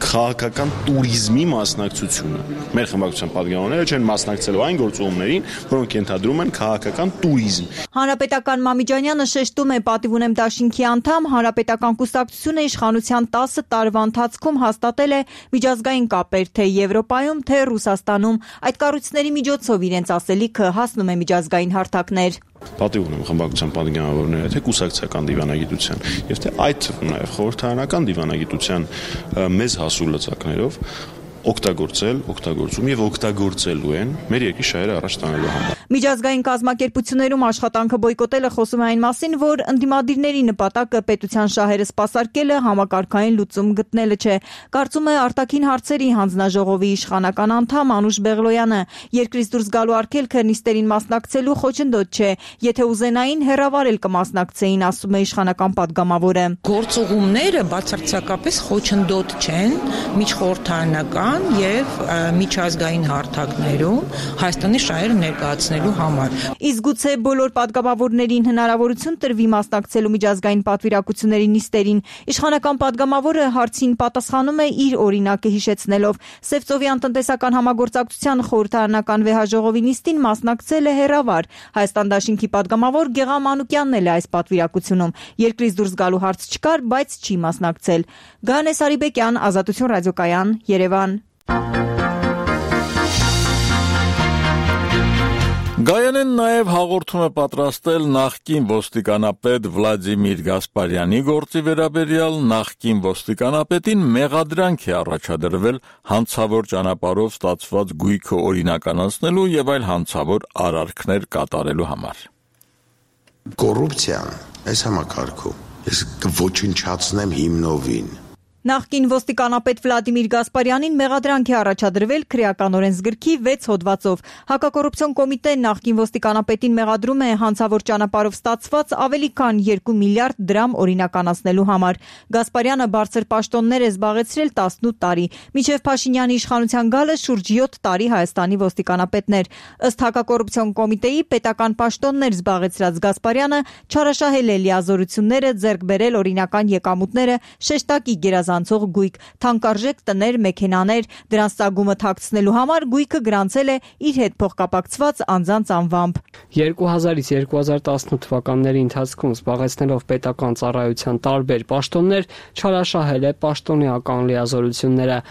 քաղաքական տուրիզմի մասնակցությունը։ Մեր խմբակցության պատգամավորները չեն մասնակցելու այն գործողումներին, որոնք ենթադրում են քաղաքական տուրիզմ։ Հանրապետական Մամիջանյանը շեշտում է, պատիվ ունեմ դաշինքի անդամ, հանրապետական կուսակցությունը իշխանության տասը տարվա ընթացքում հաստատել է միջազգային կապեր թե Եվրոպայում, թե Ռուսաստանում։ Այդ կառույցների միջոցով իրենց ասելիքը հասնում է միջազգային հարթակներ։ Պատիվ ունեմ խմբակցության պատգամավորները թե կուսակցական դիվանագիտության եւ թե այդ նաեւ խորհրդարանական դիվանագիտության մեծ հասու լծակներով օգտագործել, օգտագործում եւ օգտագործելու են մեր երկրի շահերը առաջ տանելու համար։ Միջազգային կազմակերպություններում աշխատանքը բոյկոտելը խոսում է այն մասին, որ ընդդիմադիրների նպատակը պետության շահերը սպասարկելը, համակարգային լուծում գտնելը չէ, կարծում է արտաքին հարցերի հանձնաժողովի իշխանական անդամ Անուշ Բեղլոյանը։ Երկրից դուրս գալու արգելքը նիստերին մասնակցելու խոչընդոտ չէ, եթե ուզենային հեռավար էլ կմասնակցեին, ասում է իշխանական падգամավորը։ Գործողումները բացարձակապես խոչընդոտ չեն միջխորհրդարանական եւ միջազգային հարթակներում Հայաստանի շահերը ներկայացնելու համար։ Իսկ գուցե բոլոր падգամավորներին հնարավորություն տրվի մասնակցելու միջազգային պատվիրակությունների նիստերին։ Իշխանական падգամավորը հարցին պատասխանում է իր օրինակը հիշեցնելով. Սևծովյան տնտեսական համագործակցության խորհրդարանական վեհաժողովի նիստին մասնակցել է հեռավար։ Հայաստան դաշինքի падգամավոր Գեղամ Մանուկյանն էլ է այս պատվիրակությունում։ Երկրից դուրս գալու հարց չկար, բայց չի մասնակցել։ Գայանե Սարիբեկյան, Ազատություն ռադիոկայան, Երևան։ Գայանեն նաև հաղորդում է պատրաստել նախկին ոստիկանապետ Վլադիմիր Գասպարյանի գործի վերաբերյալ նախկին ոստիկանապետին մեղադրանք է առաջադրվել հանցավոր ճանապարհով ստացված գույքը օրինականացնելու եւ այլ հանցավոր արարքներ կատարելու համար։ Կոռուպցիան այս համակարգում ես կոչնչացնեմ հիմնովին։ Նախկին ոստիկանապետ Վլադիմիր Գասպարյանին մեղադրանք է առաջադրվել քրեական օրենսգրքի վեց հոդվածով։ Հակակոռուպցիոն կոմիտեն նախկին ոստիկանապետին մեղադրում է հանցավոր ճանապարհով ստացված ավելի քան երկու միլիարդ դրամ օրինականացնելու համար։ Գասպարյանը բարձր պաշտոններ է զբաղեցրել տասնութ տարի։ Մինչև Փաշինյանի իշխանության գալը շուրջ յոթ տարի Հայաստանի ոստիկանապետն էր։ Ըստ հակակոռուպցիոն կոմիտեի պետական պաշտոններ զբաղեցրած Գասպարյանը չարաշահել է լիազորությունները, ձեռք բերել օրինական եկամուտները, շեշտակի գերազանցել անցող գույք, թանկարժեք տներ, մեքենաներ, դրանց ծագումը թաքցնելու համար գույքը գրանցել է իր հետ փոխկապակցված անձանց անվամբ։ երկու հազարից երկու հազար տասնութ թվականների ընթացքում զբաղեցնելով պետական ծառայության տարբեր պաշտոններ, չարաշահել է պաշտոնեական լիազորությունները,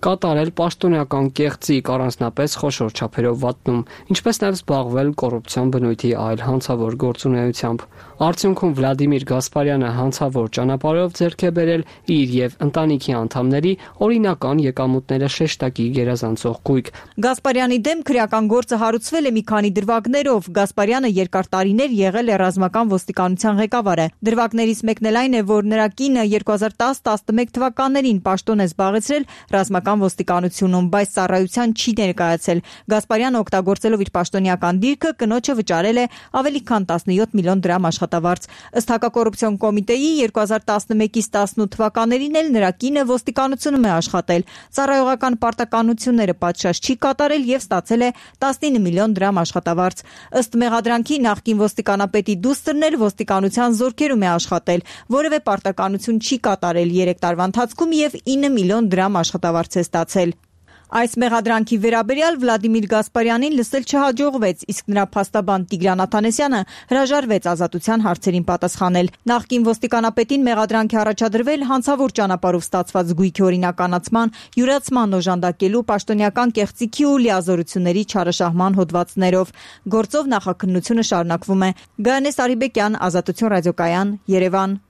կատարել պաշտոնեական կեղծիք, առանձնապես խոշոր չափերով վատնում, ինչպես նաև զբաղվել կոռուպցիոն բնույթի այլ հանցավոր գործունեությամբ։ Արդյունքում Վլադիմիր Գասպարյանը հանցավոր ճանապարհով ձեռք է բերել իր եւ ընտանիքի անդամների օրինական եկամուտները շեշտակի գերազանցող գույք։ Գասպարյանի դեմ քրեական գործը հարուցվել է մի քանի դրվագներով։ Գասպարյանը երկար տարիներ եղել է ռազմական ոստիկանության ղեկավարը։ Դրվագներից մեկն էլ այն է, որ նրա կինը երկու հազար տասը տասնմեկ թվականներին պաշտոն է զբաղեցրել ռազմական ոստիկանությունում, բայց ծառայության չի ներկայացել։ Գասպարյանը օգտագործելով իր պաշտոնեական դիրքը կնոջը վճարել է ավելի քան տասնյոթ միլիոն դրամ աշխատավարձ։ Ըստ հակակոռուպցիոն կոմիտեի երկու հազար տասնմեկից տասնութ թվականներին էլ նրա կինը ոստիկանությունում է աշխատել։ Ծառայողական պարտականությունները պատշաճ չի կատարել եւ ստացել է տասնինը միլիոն դրամ աշխատավարձ։ Ըստ մեղադրանքի նախկին ոստիկանապետի դուստրն էլ ոստիկանության զորքերում է աշխատել, որևէ պարտականություն չի կատարել երեք տարվա ընթացքում եւ ինը միլիոն դրամ աշխատավարձ է ստացել։ Այս մեղադրանքի վերաբերյալ Վլադիմիր Գասպարյանին լսել չհաջողվեց, իսկ նրա փաստաբան Տիգրան Աթանեսյանը հրաժարվեց ազատության հարցերին պատասխանել։ Նախկին ոստիկանապետին մեղադրանք է առաջադրվել հանցավոր ճանապարհով ստացված գույքի օրինականացման, յուրացման օժանդակելու, պաշտոնեական կեղծիքի ու լիազորությունների չարաշահման հոդվածներով։ Գործով նախաքննությունը շարունակվում է։ Գայանե Սարիբեկյան, Ազատություն ռադիոկայան, Երևան։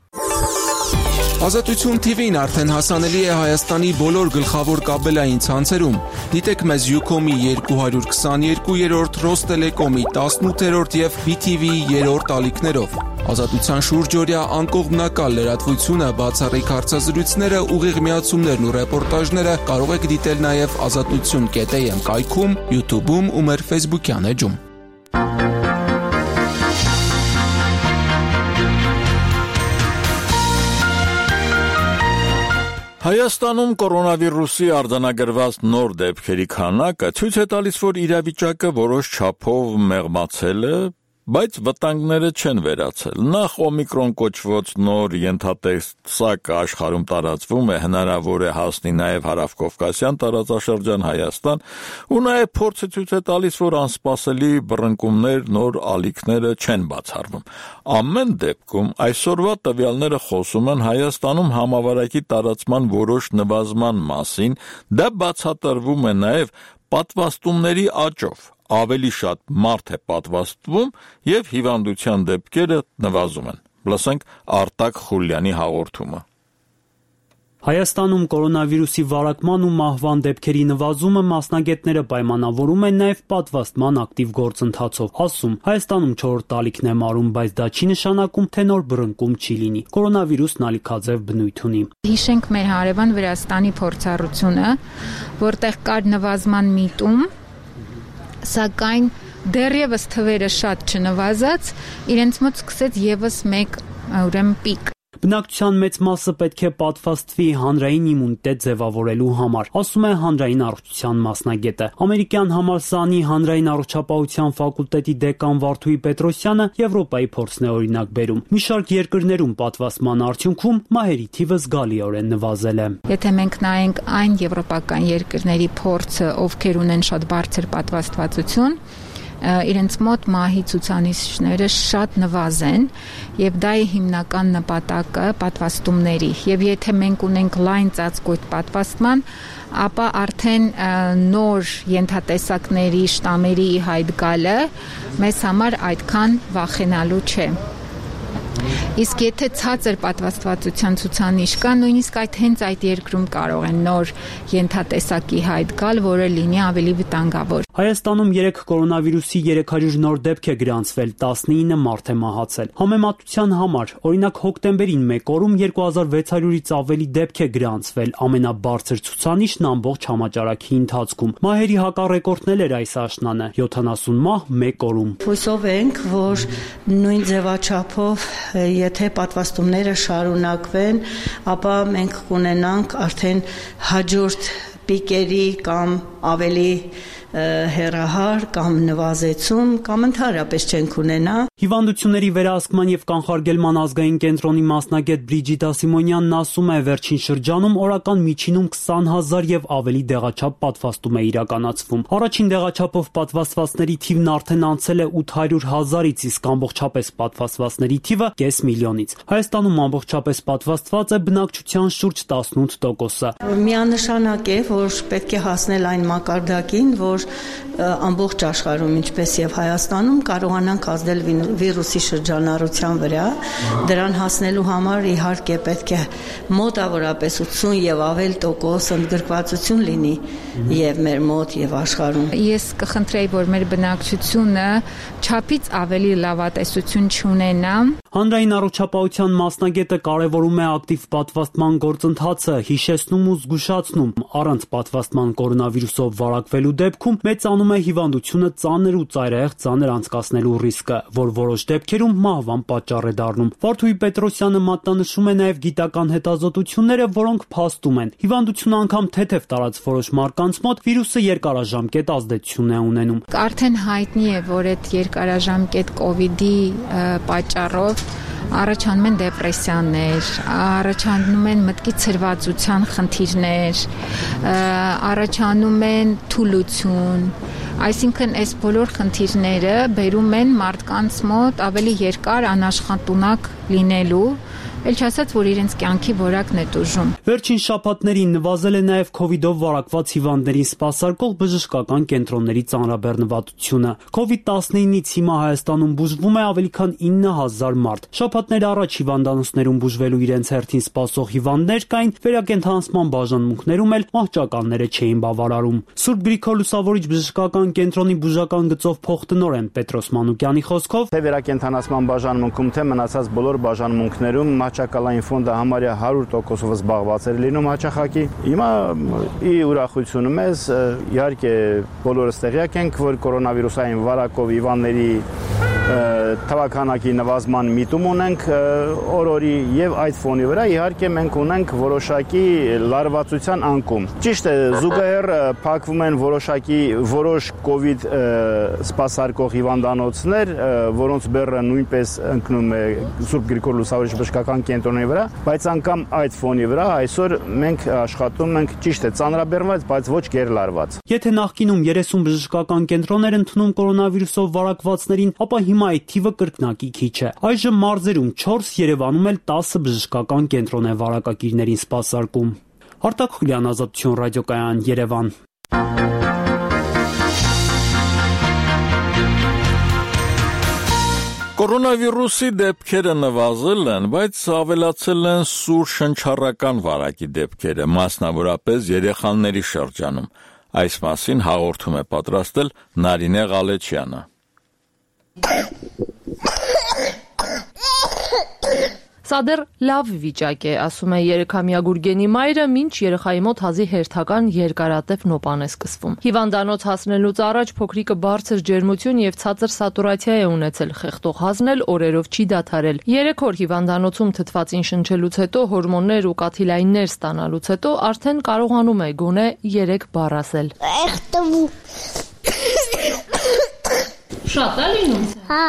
Ազատություն թիվին արդեն հասանելի է Հայաստանի բոլոր գլխավոր կաբելային ցանցերում։ Դիտեք մեզ Յուքոմի երկու հարյուր քսաներկուերորդ, Ռոստելեկոմի տասնութերորդ եւ բի թի վիի երրորդ ալիքներով։ Ազատության շուրջօրյա անկողմնակալ լրատվությունը, բացառիկ հարցազրույցները, ուղիղ միացումներն ու ռեպորտաժները կարող եք դիտել նաեւ ազատություն կետ էյ էմ կայքում, YouTube-ում ու մեր Facebook-յան էջում։ Հայաստանում կորոնավիրուսի արձանագրված նոր դեպքերի քանակը ցույց է տալիս, որ իրավիճակը որոշ չափով մեղմացել է, բայց վտանգները չեն վերացել։ Նախ օմիկրոն կոչվող նոր ենթատեսակը աշխարհում տարածվում է, հնարավոր է հասնի նաև հարավկովկասյան տարածաշրջան Հայաստան, ու նաև փորձը ցույց է տալիս, որ անսպասելի բռնկումներ, նոր ալիքները չեն բացառվում։ Ամեն դեպքում այսօրվա տվյալները խոսում են Հայաստանում համավարակի տարածման որոշ նվազման մասին, դա բացատրվում է նաև պատվաստումների աճով։ Ավելի շատ մարդ է պատվաստվում եւ հիվանդության դեպքերը նվազում են։ Լսենք Արտակ Խուլյանի հաղորդումը։ Հայաստանում կորոնավիրուսի վարակման ու մահվան դեպքերի նվազումը մասնագետները պայմանավորում են նաև պատվաստման ակտիվ գործընթացով, ասում Հայաստանում չորրորդ տալիքն է մարում, բայց դա չի նշանակում, թե նոր բռնկում չի լինի։ Կորոնավիրուսն ալիքաձև բնույթ ունի։ Հիշենք մեր հարևան Վրաստանի փորձառությունը, որտեղ կար նվազման միտում, սակայն դեռևս թվերը շատ չնվազած, իրենց մոտ սկսեց եւս մեկ ուրեմն պիկ։ Բնակչության մեծ մասը պետք է պատվաստվի հանրային իմունիտետ ձևավորելու համար, ասում է հանրային առողջության մասնագետը։ Ամերիկյան համալսարանի հանրային առողջապահության ֆակուլտետի դեկան Վարդուհի Պետրոսյանը Եվրոպայի փորձն է օրինակ բերում։ Մի շարք երկրներում պատվաստման արդյունքում մահերի թիվը զգալիորեն նվազել է։ Եթե մենք նայենք այն եվրոպական երկրների փորձը, ովքեր ունեն շատ բարձր պատվաստվածություն, իրենց մոտ մահի ցուցանիշները շատ նվազեն եւ դա է հիմնական նպատակը պատվաստումների եւ եթե մենք ունենք լայն ծածկույթ պատվաստման, ապա արդեն նոր ենթատեսակների շտամերի հայտ գալը մեզ համար այդքան վախենալու չէ։ Իսկ եթե ցածր պատվաստվածության ցուցանիշ կա, նույնիսկ այդ հենց այդ երկրում կարող են նոր ենթատեսակի հայտ գալ, որը լինի ավելի վտանգավոր։ Հայաստանում երեք կորոնավիրուսի երեք հարյուր նոր դեպք է գրանցվել, տասնինը մարդ է մահացել։ Համեմատության համար, օրինակ հոկտեմբերին մեկ օրում երկու հազար վեց հարյուրից ավելի դեպք է գրանցվել, ամենաբարձր ցուցանիշն ամբողջ համաճարակի ընթացքում։ Մահերի հակառեկորդն էր այս աշնանը՝ յոթանասուն մահ մեկ օրում։ Հույսով ենք, որ նույն ձևաչափով եթե պատվաստումները շարունակվեն, ապա մենք կունենանք արդեն հաջորդ պիկերի կամ ավելի հեռահար կամ նվազեցում կամ ընդհանրապես չենք ունենա։ Հիվանդությունների վերահսկման եւ կանխարգելման ազգային կենտրոնի մասնագետ Բրիջիտա Սիմոնյանն ասում է, վերջին շրջանում օրական միջինում քսան հազար եւ ավելի դեղաչափ պատվաստում է իրականացվում։ Առաջին դեղաչափով պատվաստվածների թիվն արդեն անցել է ութ հարյուր հազարից, իսկ ամբողջապես պատվաստվածների թիվը կես միլիոնից։ Հայաստանում ամբողջապես պատվաստված է բնակչության շուրջ տասնութ տոկոսը։ Միանշանակ է, որ պետք է հասնել այն մակարդակին, որ ամբողջ աշխարհում, ինչպես եւ Հայաստանում, կարողանանք ազդել վիրուսի շրջանառության վրա։ Դրան հասնելու համար իհարկե պետք է մոտավորապես ութսուն եւ ավել տոկոս ընդգրկվածություն լինի եւ մեր մոտ եւ աշխարհում։ Ես կխնդրեի, որ մեր բնակչությունը չափից ավելի լավատեսություն չունենա։ Հանրային առողջապահության մասնագետը կարևորում է ակտիվ պատվաստման գործընթացը, հիշեցնում ու զգուշացնում, առանց պատվաստման կորոնավիրուսով վարակվելու դեպքում մեծանում է հիվանդությունը ծանր ու ծայրահեղ ծանր անցկացնելու ռիսկը, որ որոշ դեպքերում մահվան պատճառ է դառնում։ Վարդուհի Պետրոսյանը մատնանշում է նաև գիտական հետազոտությունները, որոնք փաստում են, հիվանդությունը անգամ թեթև տարած որոշ մարդկանց մոտ վիրուսը երկարաժամկետ ազդեցություն է ունենում։ Արդեն հայտնի է, որ այդ երկարաժամկետ կովիդի պատճառով առաջանում են դեպրեսիաներ, առաջանում են մտքի ցրվածության խնդիրներ, առաջանում են թուլություն, այսինքն այս բոլոր խնդիրները բերում են մարդկանց մոտ ավելի երկար անաշխատունակ լինելու, ել չասած, որ իրենց կյանքի որակն է տուժում։ Վերջին շաբաթներին նվազել է նաև քովիդով վարակված հիվանդներին սպասարկող բժշկական կենտրոնների ծանրաբեռնվածությունը։ քովիդ տասնինից հիմա Հայաստանում բուժվում է ավելի քան ինը հազար մարդ։ Շաբաթներ առաջ հիվանդանոցներում բուժվելու իրենց հերթին սպասող հիվանդներ կային, վերակենդանացման բաժանմունքներում էլ մահճականները չէին բավարարում։ Սուրբ Գրիգոր Լուսավորիչ բժշկական կենտրոնի բուժական գծով փոխտնօրեն Պետրոս Մանուկյանի խոսքով, թե վերակենդանացման բաժանմունքում, թե մնացած բոլոր բաժանմունքներում հաճակալային ֆոնդը համարյա հարյուր տոկոսով զբաղված էր լինում հաճախակի։ Հիմա ի ուրախությունը մեզ, իհարկե բոլորս տեղյակ ենք, որ կորոնավիրուսային վարակով հիվանդների թվականակի նվազման միտում ունենք օր-օրի եւ այդ ֆոնի վրա իհարկե մենք ունենք որոշակի լարվածության անկում։ Ճիշտ է, զուգահեռ փակվում են որոշակի որոշ կովիդ սպասարկող հիվանդանոցներ, որոնց բեռը նույնպես ընկնում է Սուրբ Գրիգոր Լուսավորիչ բժշկական կենտրոնի վրա, բայց անգամ այդ ֆոնի վրա այսօր մենք աշխատում ենք, ճիշտ է, ծանրաբեռնված, բայց ոչ գերլարված։ Եթե նախկինում երեսուն բժշկական կենտրոններ ընդունում կորոնավիրուսով վարակվածներին, ապա հիմա այդ թիվը կրկնակի քիչ է։ Այժմ մարզերում չորս, Երևանում էլ տասը բժշկական կենտրոն է վարակագիրներին սպասարկում։ Արտակ Խուլյան, Ազատություն ռադիոկայան, Երևան։ Կորոնավիրուսի դեպքերը նվազել են, բայց ավելացել են սուր շնչառական վարակի դեպքերը, մասնավորապես երեխաների շրջանում։ Այս մասին հաղորդում է պատրաստել Նարինե Ղալեչյանը։ Սա դեռ լավ վիճակ է, ասում է երեքամյա Գուրգենի մայրը, մինչ երեխայի մոտ հազի հերթական երկարատև նոպան է սկսվում։ Հիվանդանոց հասնելուց առաջ փոքրիկը բարձր ջերմություն եւ ցածր սատուրացիա է ունեցել, խեղդող հազն էլ օրերով չի դադարել։ Երեք օր հիվանդանոցում թթվածին շնչելուց հետո, հորմոններ ու կաթիլայիններ ստանալուց հետո արդեն կարողանում է գոնե երեք բառ ասել։ Շատ է լինում։ Հա։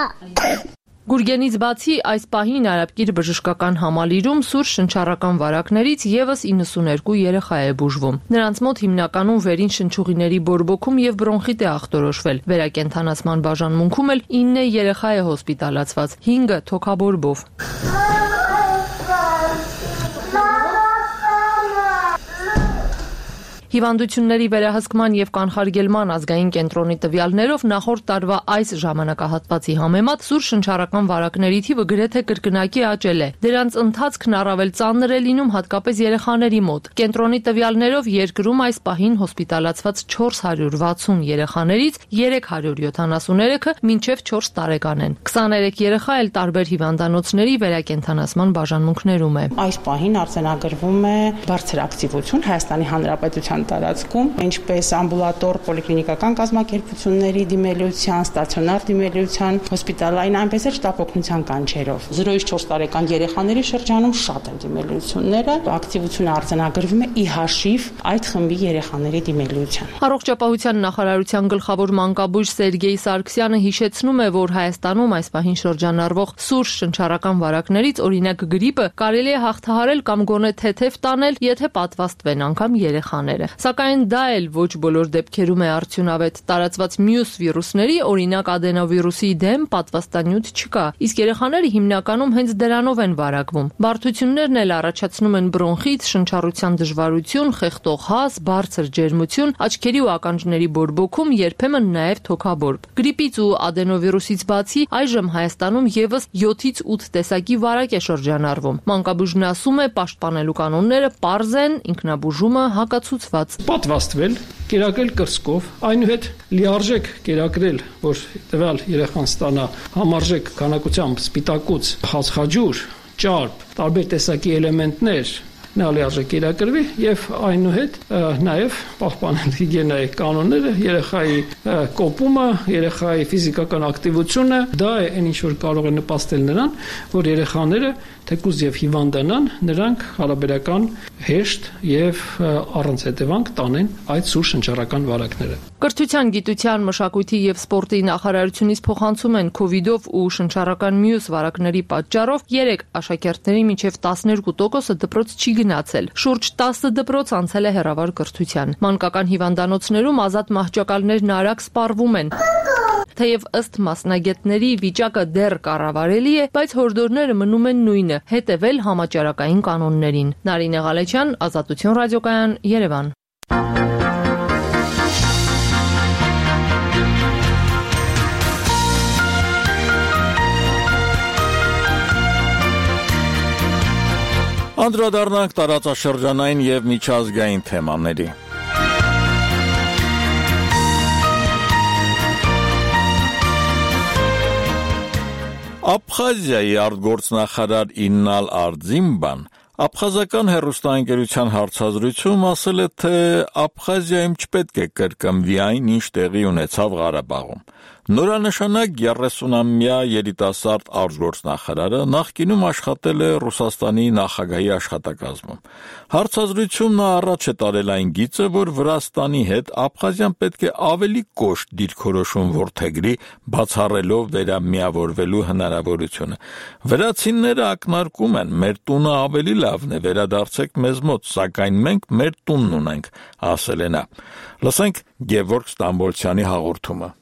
Գուրգենից բացի այս պահին Արաբկիր բժշկական համալիրում սուր շնչառական վարակներից եւս իննսուներկու երեխա է բուժվում։ Նրանց մոտ հիմնականում վերին շնչուղիների բորբոքում եւ բրոնխիտ է ախտորոշվել։ Վերակենդանացման բաժանմունքում էլ ինը երեխա է հոսպիտալացված, հինգը թոքաբորբով։ Հիվանդությունների վերահսկման եւ կանխարգելման ազգային կենտրոնի տվյալներով նախորդ տարվա այս ժամանակահատվածի համեմատ սուր շնչառական վարակների թիվը գրեթե կրկնակի աճել է։ Դրանց ընթացքն առավել ծանր է լինում հատկապես երեխաների մոտ։ Կենտրոնի տվյալներով երկրում այս պահին հոսպիտալացված չորս հարյուր վաթսուն երեխաներից երեք հարյուր յոթանասուներեքը մինչև չորս տարեկան են։ քսաներեք երեխա էլ տարբեր հիվանդանոցների վերակենդանացման բաժանմունքներում է։ Այս պահին արձանագրվում է բարձր ակտիվություն Հայաստանի Հանրապետության տարածքում, ինչպես ամբուլատոր պոլիկլինիկական կազմակերպությունների դիմելիության, ստացիոնար դիմելիության, հոսպիտալային, այնպես էլ շտապօգնության կանչերով։ զրոյից չորս տարեկան երեխաների շրջանում շատ են դիմելիությունները, ակտիվությունը արձանագրվում է ի հաշիվ այդ խմբի երեխաների դիմելիության։ Առողջապահության նախարարության գլխավոր մանկաբույժ Սերգեյ Սարգսյանը հիշեցնում է, որ Հայաստանում այս պահին շրջանառվող սուր շնչառական վարակներից, օրինակ գրիպը, կարելի է հաղթահարել կամ գոնե թեթև տանել, եթե պատվաստվեն անգամ երեխաները։ Սակայն դա էլ ոչ բոլոր դեպքերում է արդյունավետ։ Տարածված մյուս վիրուսների, օրինակ ադենովիրուսի դեմ պատվաստանյութ չկա, իսկ երեխաները հիմնականում հենց դրանով են վարակվում։ Բարդություններն էլ առաջացնում են բրոնխիտ, շնչառության դժվարություն, խեղդող հազ, բարձր ջերմություն, աչքերի ու ականջների բորբոքում, երբեմն նաև թոքաբորբ։ Գրիպից ու ադենովիրուսից բացի այժմ Հայաստանում եւս յոթից ութ տեսակի վարակ է շրջանառվում։ Մանկաբույժն ասում է, պաշտպանելու կանոնները պարզ են, ինքնաբուժումը հակացուցված։ Պատվաստվել, կերակրել կրծքով, այնուհետ լիարժեք կերակրել, որ տվյալ երեխան ստանա համարժեք քանակությամբ սպիտակուց, հացխաջուր, ճարպ, տարբեր տեսակի էլեմենտներ, նա լիարժեք կերակրվի եւ այնուհետ նաեւ պահպանել հիգիենայի կանոնները, երեխայի կոպումը, երեխայի ֆիզիկական ակտիվությունը, դա է այն ինչ որ կարող է նպաստել նրան, որ երեխաները թեկուզ եւ հիվանդանան, նրանք հարաբերական հեշտ եւ առանց հետևանք տանեն այդ սուր շնչառական վարակները։ Կրթության, գիտության, մշակույթի եւ սպորտի նախարարությունից փոխանցում են քովիդով ու շնչառական մյուս վարակների պատճառով երեք աշակերտների մինչեւ տասներկու տոկոսը դպրոց չի գնացել։ Շուրջ տասը դպրոց անցել է հեռավար կրթության։ Մանկական հիվանդանոցներում ազատ մահճակալներն արագ սպառվում են։ Թեև ըստ մասնագետների վիճակը դեռ կառավարելի է, բայց հորդորները մնում են նույնը՝ հետևել համաճարակային կանոններին։ Նարինե Ղալեչյան, Ազատություն ռադիոկայան, Երևան։ Անդրադառնանք տարածաշրջանային եւ միջազգային թեմաների։ Աբխազիայի արտգործնախարար Իննալ Արձիմբան Աբխազական հեռուստաընկերության հարցազրույցում ասել է, թե Աբխազիայում չպետք է կրկնվի այն, ինչ տեղի ունեցավ Ղարաբաղում։ Նորանշանակ երեսունամյա երիտասարդ արտգործնախարարը նախկինում աշխատել է Ռուսաստանի նախագահի աշխատակազմում։ Հարցազրույցում նա առաջ է տարել այն գիծը, որ Վրաստանի հետ Աբխազիան պետք է ավելի կոշտ դիրքորոշում որդեգրի, բացառելով վերամիավորվելու հնարավորությունը։ Վրացիները ակնարկում են, մեր տունը ավելի լավն է, վերադարձեք մեզ մոտ, սակայն մենք մեր տունն ունենք, ասել է նա։ Լսենք Գևորգ Ստամբոլցյանի հաղորդումը։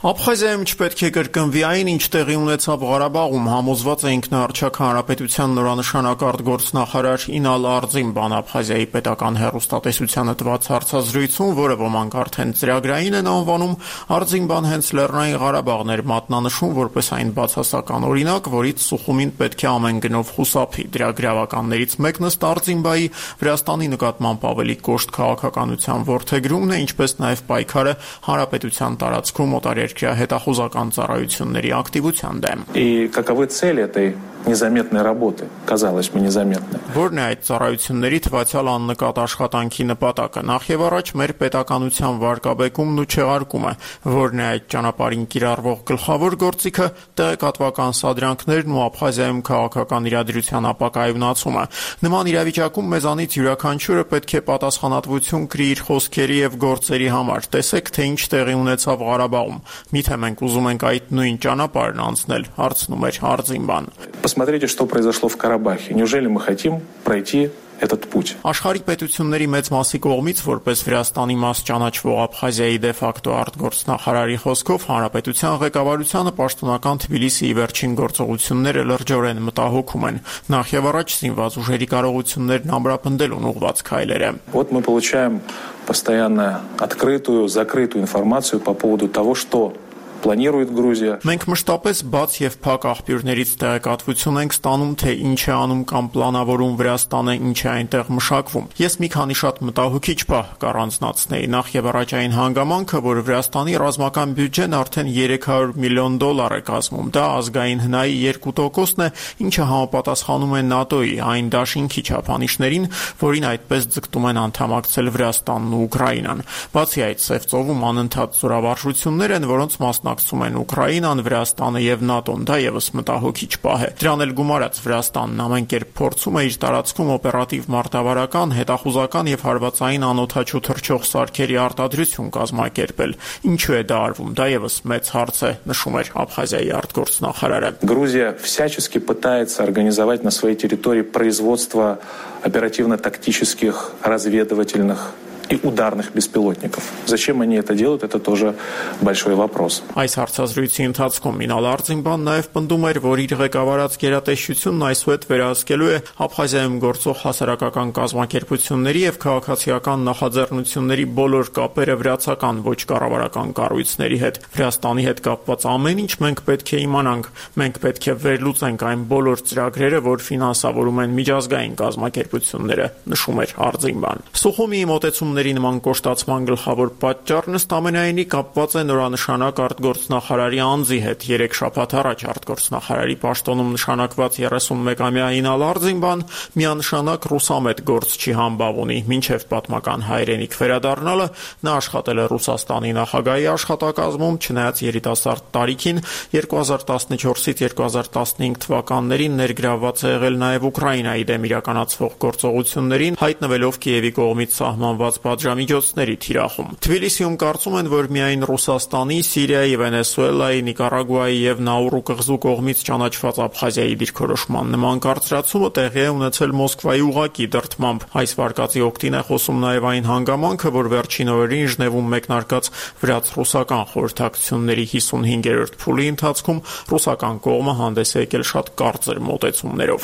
Աբխազիայում չպետք է կրկնվի այն, ինչ տեղի ունեցավ Ղարաբաղում, համոզված է ինքնահռչակ հանրապետության նորանշանակ արտգործնախարար Ինալ Արզիմբան Աբխազիայի պետական հեռուստատեսությանը տված հարցազրույցում, որը ոմանք արդեն ծրագրային են անվանում, Արզիմբան հենց Լեռնային Ղարաբաղն էր մատնանշում որպես այն բացասական օրինակ, որից Սուխումին պետք է ամեն գնով խուսափի։ Դրա գրավականներից մեկն ըստ Արզիմբայի Վրաստանի նկատմամբ ավելի կոշտ քաղաքականության որդեգրումն է, ինչպես նաև պայքարը հանրապետության տարածքում օտարերկրյա հետախուզական ծառայությունների ակտիվության դեմ։ И каковы цели этой незаметной работы? Казалось бы, незаметной. Որն է այդ ծառայությունների թվացյալ աննկատ աշխատանքի նպատակը։ Նախ եւ առաջ մեր պետականության վարկաբեկումն ու չեղարկումը, որն է այդ ճանապարհին կիրառվող գլխավոր գործիքը, տեղեկատվական սադրանքներն ու Աբխազիայում քաղաքական իրադրության ապակայունացումը։ Նման իրավիճակում մեզանից յուրաքանչյուրը պետք է պատասխանատվություն կրի իր խոսքերի եւ գործերի համար։ Տեսեք, թե ինչ տեղի ունեցավ Ղարաբաղում։ Միթե մենք ուզում ենք այդ նույն ճանապարհն անցնել, հարցնում էր Արզիմբան։ Посмотрите, что произошло в Карабахе. Неужели мы хотим пройти этот путь? Աշխարհի պետությունների մեծ մասի կողմից որպես Վրաստանի մաս ճանաչվող Աբխազիայի դեֆակտո արտգործնախարարի խոսքով հանրապետության ղեկավարությանը պաշտոնական Թբիլիսիի վերջին գործողությունները լրջորեն մտահոգում են։ Նախ եւ առաջ զինված ուժերի կարողություններն ամրապնդելուն ուղղված քայլերը։ Вот мы получаем постоянно открытую, закрытую информацию по поводу того, что планирует Грузия. Մենք մշտապես բաց եւ փակ աղբյուրներից տեղեկատվություն ենք ստանում, թե ինչ է անում կամ պլանավորում Վրաստանը, ինչ է այնտեղ մշակվում։ Ես մի քանի շատ մտահոգիչ բան կառանձնացնեի։ Նախ եւ առաջ այն հանգամանքը, որ Վրաստանի ռազմական բյուջեն արդեն երեք հարյուր միլիոն դոլար է կազմում։ Դա ազգային հնայի երկու տոկոսն է, ինչը համապատասխանում է ՆԱՏՕ-ի այն դաշինքի չափանիշներին, որին այդպես ձգտում են անդամակցել Վրաստանն ու Ուկրաինան։ Բացի այդ, Սև ծովում անընդհատ զորավարժություններ են, որոնց մասնակցում ակցում Ուկրաինան, Վրաստանը եւ ՆԱՏՕ-ն, դա եւս մտահոգիչ բան է։ Դրան էլ գումարած Վրաստանն ամեն կերպ փորձում է իր տարածքում օպերատիվ մարտավարական, հետախուզական եւ հարվածային անօդաչու թռչող սարքերի արտադրություն կազմակերպել։ Ինչու է դա արվում, դա եւս մեծ հարց է, նշում էր Աբխազիայի արտգործնախարարը։ Грузия всячески пытается организовать на своей территории производство оперативно-тактических разведывательных и ударных беспилотников. Зачем они это делают, это тоже большой вопрос. Այս հարցազրույցի ընթացքում Ինալ Արզիմբան նաև պնդում էր, որ իր ղեկավարած գերատեսչությունն այսուհետ վերահսկելու է Աբխազիայում գործող հասարակական կազմակերպությունների եւ քաղաքացիական նախաձեռնությունների բոլոր կապերը վրացական ոչ կառավարական կառույցների հետ։ Վրաստանի հետ կապված ամեն ինչ մենք պետք է իմանանք։ Մենք պետք է վերլուծենք այն բոլոր ծրագրերը, որ ֆինանսավորում են միջազգային կազմակերպությունները, նշում էր Արզիմբան։ Սուխումիի մոտեցումների նման կոշտացման գլխավոր պատճառն ըստ ամենայնի կապված է նորանշանակ արտգործնախարարի անձի հետ։ Երեք շաբաթ առաջ արտգործնախարարի պաշտոնում նշանակված երեսունմեկամյա Ինալ Արզիմբան միանշանակ ռուսամետ գործչի համբավ ունի։ Մինչև պատմական հայրենիք վերադառնալը նա աշխատել է Ռուսաստանի նախագահի աշխատակազմում, չնայած երիտասարդ տարիքին երկու հազար տասնչորսից երկու հազար տասնհինգ թվականներին ներգրավված է եղել նաև Ուկրաինայի դեմ իրականացվող գործողություններին, հայտնվելով Կիևի կողմից սահմանված պատժամիջոցների թիրախում։ Թբիլիսիում կարծում են, որ միայն Ռուսաստանի, Սիրիայի, Վենեսուելայի, Նիկարագուայի եւ Նաուրու կղզու կողմից ճանաչված Աբխազիայի դիրքորոշման նման կարծրացումը տեղի է ունեցել Մոսկվայի ուղակի դրդմամբ։ Այս վարկածի օգտին է խոսում նաեւ այն հանգամանքը, որ վերջին օրերին Ժնևում մեկնարկած վրաց-ռուսական խորհրդակցությունների հիսունհինգերորդ փուլի ընթացքում ռուսական կողմը հանդես է եկել շատ կարծր մոտեցումներով։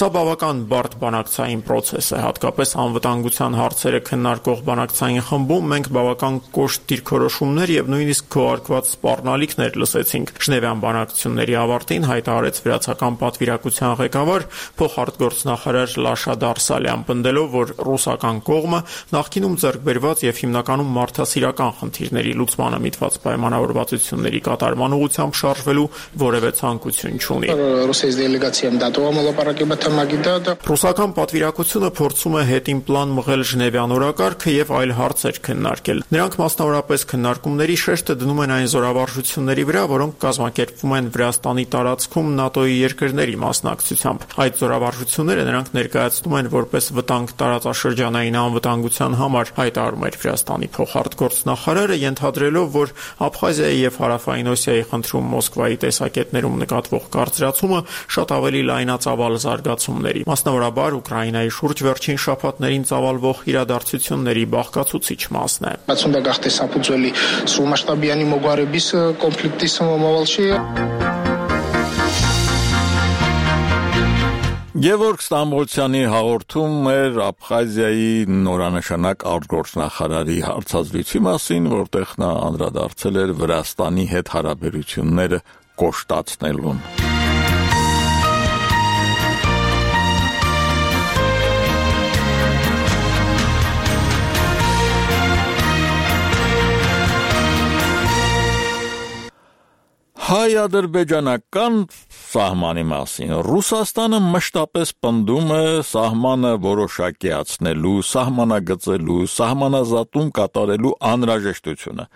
Սա բավական բարդ բանակցային պրոցես է, հատկապես անվտանգության հարցերը քննարկող բանակցային խմբում մենք բավական կոշտ դիրքորոշումներ եւ նույնիսկ քողարկված սպառնալիքներ լսեցինք։ Ժնևյան բանակցությունների ավարտին հայտարարեց վրացական պատվիրակության ղեկավար փոխարտգործնախարար Լաշա Դարսալյան, պնդելով, որ ռուսական կողմը նախկինում ձեռք բերված եւ հիմնականում մարդասիրական խնդիրների լուծմանը միտված պայմանավորվածությունների կատարման ուղղությամբ շարժվելու որևէ ցանկություն չունի։ Ռուսական պատվիրակությունը փորձում է հետին պլան մղել Ժնևյան օրակարգը եւ այլ հարցեր քննարկել։ Նրանք մասնավորապես քննարկումների շեշտը դնում են այն զորավարժությունների վրա, որոնք կազմակերպվում են Վրաստանի տարածքում ՆԱՏՕ-ի երկրների մասնակցությամբ։ Այդ զորավարժությունները նրանք ներկայացնում են որպես վտանգ տարածաշրջանային անվտանգության համար, հայտարարում էր Վրաստանի փոխարտգործնախարարը, ենթադրելով, որ Աբխազիայի եւ Հարավային Օսիայի խնդրում Մոսկվայի տեսակետներում նկատվող կարծրացումը շատ ավելի լայնածավալ զարգացումների, մասնավորաբար Ուկրաինայի շուրջ վերջին շաբաթներին ծավալվող իրադարձությունների բաղկացուցիչ մասն է։ Գաղտեսապուծելի սումաշտաբյանի մոգարեբիս կոնֆլիկտի սմոմավալշի Գևորգ Ստամբոլցյանի հաղորդում էր Աբխազիայի նորանշանակ արտգործնախարարի հարցազրույցի մասին, որտեղ նա անդրադարձել էր Վրաստանի հետ հարաբերությունները կոշտացնելուն։ Հայ-ադրբեջանական սահմանի մասին Ռուսաստանը մշտապես պնդում է սահմանը որոշակիացնելու, սահմանագծելու, սահմանազատում կատարելու անհրաժեշտությունը։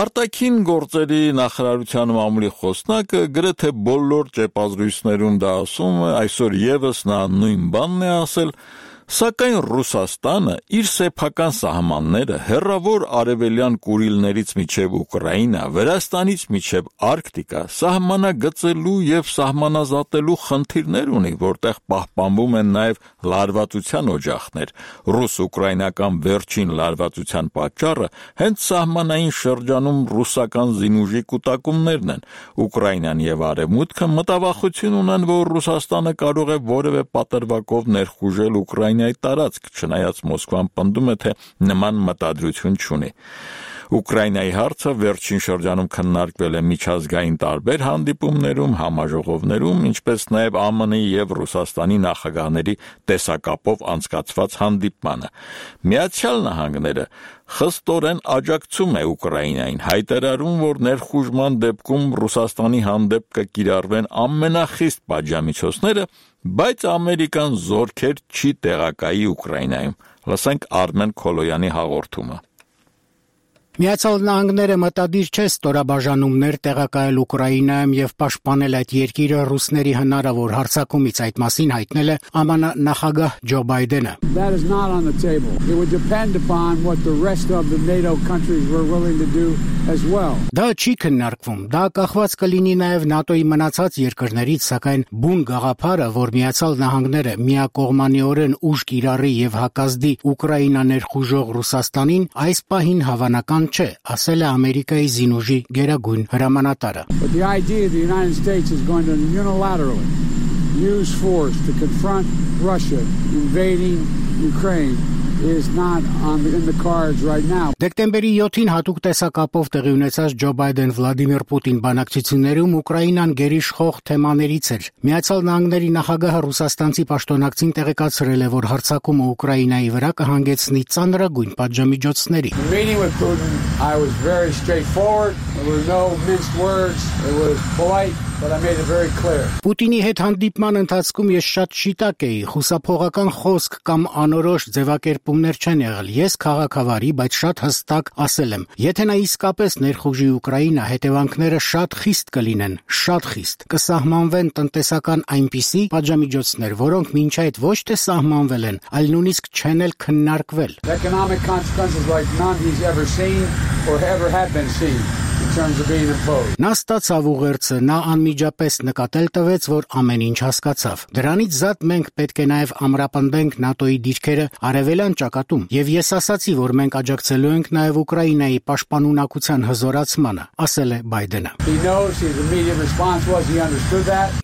Արտաքին գործերի նախարարության մամուլի խոսնակը գրեթե բոլոր ճեպազրույցներում դա ասում է, այսօր եւս նա նույն բանն է ասել, սակայն Ռուսաստանը իր սեփական սահմանները հեռավոր արևելյան Կուրիլներից մինչև Ուկրաինա, Վրաստանից մինչև Արկտիկա սահմանագծելու եւ սահմանազատելու խնդիրներ ունի, որտեղ պահպանվում են նաեւ լարվածության օջախներ։ Ռուս-ուկրաինական վերջին լարվածության պատճառը հենց սահմանային շրջանում ռուսական զինուժի կուտակումներն են։ Ուկրաինան եւ Արևմուտքը մտավախություն ունեն, որ Ռուսաստանը կարող է որևէ պատրվակով ներխուժել Ուկրաինա տարածք, չնայած Մոսկվան պնդում է, թե նման մտադրություն չունի։ Ուկրաինայի հարցը վերջին շրջանում քննարկվել է միջազգային տարբեր հանդիպումներում, համաժողովներում, ինչպես նաև Α M N-ի եւ Ռուսաստանի նախագահների տեսակապով անցկացված հանդիպմանը։ Միացյալ Նահանգները խստորեն աջակցում է Ուկրաինային, հայտարարում, որ ներխուժման դեպքում Ռուսաստանի հանդեպ կկիրառվեն ամենախիստ պատժամիջոցները, բայց Ամերիկան զորքեր չի տեղակայի Ուկրաինայում։ Լսենք Արմեն Քոլոյանի հաղորդումը։ Միացյալ Նահանգները մտադիր չէ ստորաբաժանումներ տեղակայել Ուկրաինայում եւ պաշտպանել այդ երկիրը ռուսների հնարավոր հարձակումից, այդ մասին հայտնել է Α M N նախագահ Ջո Բայդենը։ That is not on the table. It would depend upon what the rest of the NATO countries were willing to do as well. Դա չի քննարկվում։ Դա կախված կլինի նաեւ ՆԱՏՕ-ի մնացած երկրներից, սակայն բուն գաղափարը, որ Միացյալ Նահանգները միակողմանիորեն ուժ կիրառի եւ հակազդի Ուկրաինա ներխուժող Ռուսաստանին, այս պահին հավանական չէ, ասել է Ամերիկայի զինուժի գերագույն հրամանատարը։ But the idea the United States is going to unilaterally use force to confront Russia invading Ukraine is not on the, in the cards right now. Դեկտեմբերի յոթին հատուկ տեսակապով տեղի ունեցած Ջո Բայդեն Վլադիմիր Պուտին բանակցություններում Ուկրաինան գերիշխող թեմաներից էր։ Միացյալ Նահանգների նախագահը ռուսաստանցի պաշտոնակցին տեղեկացրել է, որ հարձակումը Ուկրաինայի վրա կհանգեցնի ծանրագույն պատժամիջոցների։ Meeting with Putin, I was very straightforward. There were no minced words. It was polite, but I made it very clear. Պուտինի հետ հանդիպման ընթացքում ես շատ շիտակ էի, խուսափողական խոսք կամ անորոշ ձևակերպումներ չեն եղել։ Ես քաղաքավարի, բայց շատ հստակ ասել եմ. եթե նա իսկապես ներխուժի Ուկրաինա, հետևանքները շատ խիստ կլինեն, շատ խիստ։ Կսահմանվեն տնտեսական այնպիսի պատժամիջոցներ, որոնք մինչ այդ ոչ թե սահմանվել են, այլ նույնիսկ չեն էլ քննարկվել։ Economic consequences like none he's ever seen or ever have been seen. Նա ստացավ ուղերձը, նա անմիջապես նկատել տվեց, որ ամեն ինչ հասկացավ։ Դրանից զատ մենք պետք է նաև ամրապնդենք ՆԱՏՕ-ի դիրքերը արևելյան ճակատում, եւ ես ասացի, որ մենք աջակցելու ենք նաև Ուկրաինայի պաշտպանունակության հզորացմանը, ասել է Բայդենը։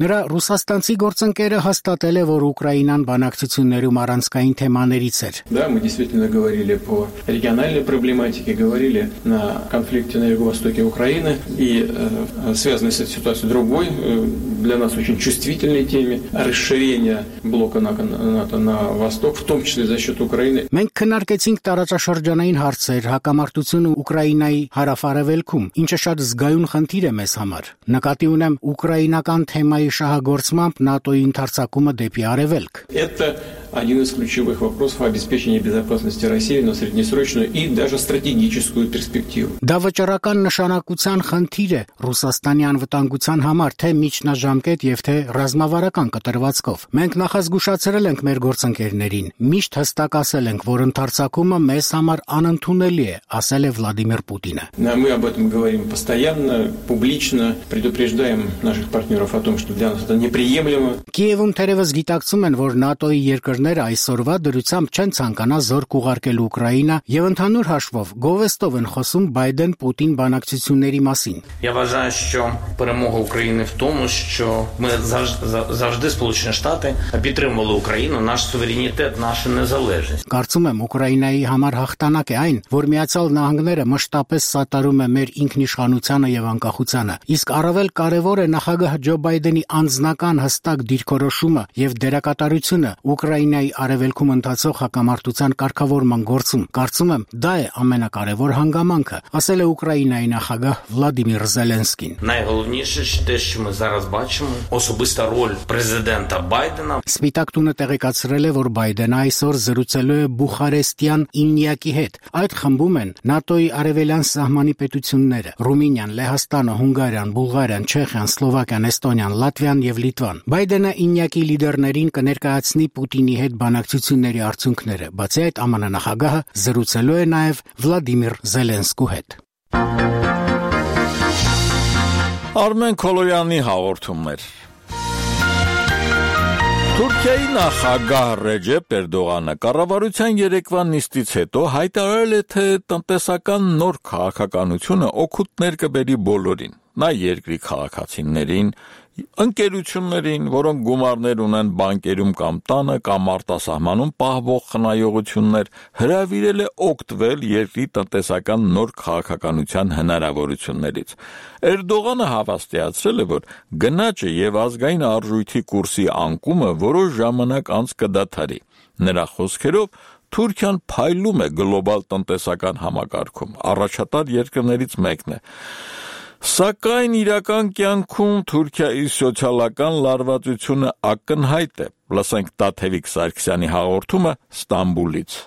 Նրա ռուսաստանցի գործընկերը հաստատել է, որ Ուկրաինան բանակցություններում առանցքային թեմաներից էր։ Да, мы действительно говорили по региональной проблематике, говорили на конфликте на юго-востоке Украины и э, связанной с этой ситуацией другой, э, для нас очень чувствительной теме расширения блока НАТО на восток, в том числе за счет Украины. Մենք քննարկեցինք տարածաշրջանային հարցեր, հակամարտությունը Ուկրաինայի հարավ-արևելքում, ինչը շատ զգայուն խնդիր է մեզ համար։ Նկատի ունեմ ուկրաինական թեմայի շահագործմամբ ՆԱՏՕ-ի ընդարձակումը դեպի արևելք։ Это один из ключевых вопросов обеспечения безопасности России на среднесрочную и даже стратегическую перспективу. Դա վճռական նշանակության խնդիր է Ռուսաստանի անվտանգության համար, թե միջնաժամկետ եւ թե ռազմավարական կտրվածքով։ Մենք նախազգուշացրել ենք մեր գործընկերներին, միշտ հստակ ասել ենք, որ ընդարձակումը մեզ համար անընդունելի է, ասել է Վլադիմիր Պուտինը։ Мы об этом говорим постоянно, публично, предупреждаем наших партнеров о том, что для нас это неприемлемо. Կիևում թերևս գիտակցում են, որ ՆԱՏՕ-ի երկրները այսօրվա դրությամբ չեն ցանկանա զորք ուղարկել Ուկրաինա եւ ընդհանուր հաշվով գովեստով են խոսում Բայդեն-Путін բանակցությունների մասին։ Я вважаю, що перемога України в тому, що ми завжди Сполучені Штати підтримували Україну, наш суверенітет, наша незалежність. Կարծում եմ Ուկրաինայի համար հաղթանակ է այն, որ Միացյալ Նահանգները մշտապես սատարում է մեր ինքնիշխանությանը եւ անկախությանը։ Իսկ առավել կարեւոր է նախագահ Ջո Բայդենի անձնական հստակ դիրքորոշումը եւ դերակատարությունը Ուկրաինայի արևելքում ընթացող հակամարտության կարգավորման գործում։ Կարծում եմ, դա է ամենակարևոր հանգամանքը, ասել է Ուկրաինայի նախագահ Վլադիմիր Զելենսկին։ Найголовніше те, що ми зараз бачимо, особиста роль президента Байдена. Սպիտակ տունը տեղեկացրել է, որ Բայդենը այսօր զրուցելու է Բուխարեստյան ինյակի հետ։ Այդ խմբում են ՆԱՏՕ-ի արևելյան սահմանի պետությունները՝ Ռումինիան, Լեհաստանը, Հունգարիան, Բուլղարիան, Չեխիան, Սլովակիան, Էստոնիան, Լատվիան եւ Լիտվան։ Բայդենը ինյակի լիդերներին կներկայացնի Պուտինի հետ բանակցությունների արդյունքները։ Բացի այդ, ԱՄՆ նախագահը զրուցելու է նաեւ Վլադիմիր Զելենսկու հետ։ Արմեն Քոլոյանի հաղորդումներ։ Թուրքիայի նախագահ Ռեջեփ Էրդողանը կառավարության երեկվա նիստից հետո հայտարարել է, թե տնտեսական նոր քաղաքականությունը օգուտներ կբերի բոլորին, նա երկրի քաղաքացիներին, ընկերություններին, որոնք գումարներ ունեն բանկերում կամ տանը կամ արտասահմանում պահվող խնայողություններ, հրավիրել է օգտվել երկրի տնտեսական նոր քաղաքականության հնարավորություններից։ Էրդողանը հավաստիացրել է, որ գնաճը եւ ազգային արժույթի կուրսի անկումը որոշ ժամանակ անց կդադարի։ Նրա խոսքերով Թուրքիան փայլում է գլոբալ տնտեսական համակարգում, առաջատար երկրներից մեկն է։ Սակայն իրական կյանքում Թուրքիայի սոցիալական լարվածությունը ակնհայտ է։ Լսենք Տաթևիկ Սարգսյանի հաղորդումը Ստամբուլից։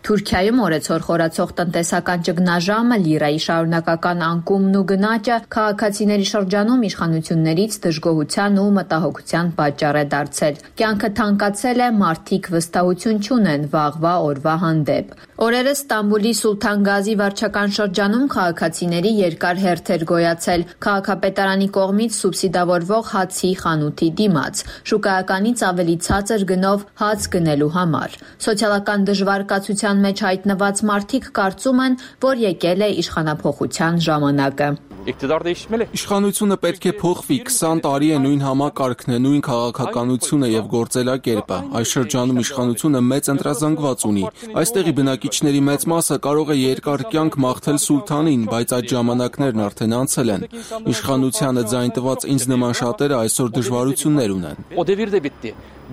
Թուրքիայում օրեցօր խորացող տնտեսական ճգնաժամը, լիրայի շարունակական անկումն ու գնաճը քաղաքացիների շրջանում իշխանություններից դժգոհության ու մտահոգության պատճառ է դարձել։ Կյանքը թանկացել է, մարդիկ վստահություն չունեն վաղվա օրվա հանդեպ։ Օրերս Ստամբուլի Սուլթան Գազի վարչական շրջանում քաղաքացիների երկար հերթեր գոյացել քաղաքապետարանի կողմից սուբսիդավորվող հացի խանութի դիմաց, շուկայականից ավելի ցածր գնով հաց գնելու համար։ Սոցիալական դժվարակացության մեջ հայտնված մարդիկ կարծում են, որ եկել է իշխանափոխության ժամանակը։ Իշխանությունը պետք է փոխվի, քսան տարի է նույն համակարգն է, նույն քաղաքականությունը եւ գործելակերպը։ Այս շրջանում իշխանությունը մեծ ընտրազանգված ունի։ Այստեղի բնակիչների մեծ մասը կարող է երկար կյանք մաղթել սուլթանին, բայց այդ ժամանակներն արդեն անցել են։ Իշխանությանը ձայն տված ինձ նման շատերը այսօր դժվարություններ ունեն։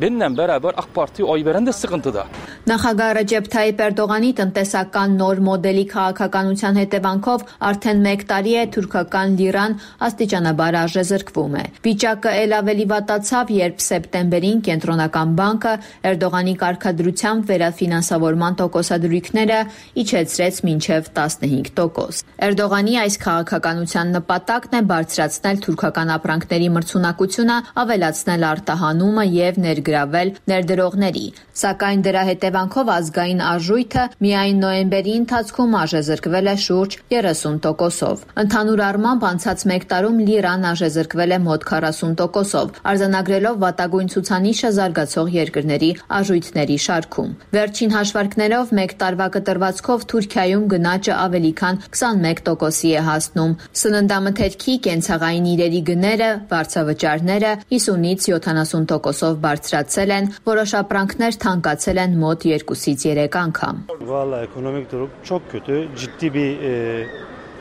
Benimle beraber AK Parti'ye oy veren de sıkıntıda. Նախագահ Ռեջեփ Թայիփ Էրդողանի տնտեսական նոր մոդելի քաղաքականության հետևանքով արդեն մեկ տարի է թուրքական լիրան աստիճանաբար արժեզրկվում է։ Վիճակը ել ավելի վատացավ, երբ սեպտեմբերին կենտրոնական բանկը Էրդողանի կարգադրությամբ վերաֆինանսավորման տոկոսադրույքները իջեցրեց մինչև տասնհինգ տոկոս։ Էրդողանի այս քաղաքականության նպատակն է բարձրացնել թուրքական ապրանքների մրցունակությունը, ավելացնել արտահանումը եւ ներգրավել ներդրողների, սակայն դրա հետևանքով ազգային արժույթը միայն նոյեմբերի ընթացքում արժեզրկվել է շուրջ երեսուն տոկոսով։ Ընդհանուր առմամբ անցած մեկ տարում լիրան արժեզրկվել է մոտ քառասուն տոկոսով, արձանագրելով վատագույն ցուցանիշը զարգացող երկրների արժույթների շարքում։ Վերջին հաշվարկներով մեկ տարվա կտրվածքով Թուրքիայում գնաճը ավելի քան քսանմեկ տոկոսի է հասնում։ Սննդամթերքի, կենցաղային իրերի գները, վարձավճարները հիսունից յոթանասուն տոկոսով բարձրացել են, որոշ ապրանքներ թանկացել են մոտ երկուսից երեք անգամ։ Vallahi ekonomik durum çok kötü. Ciddi bir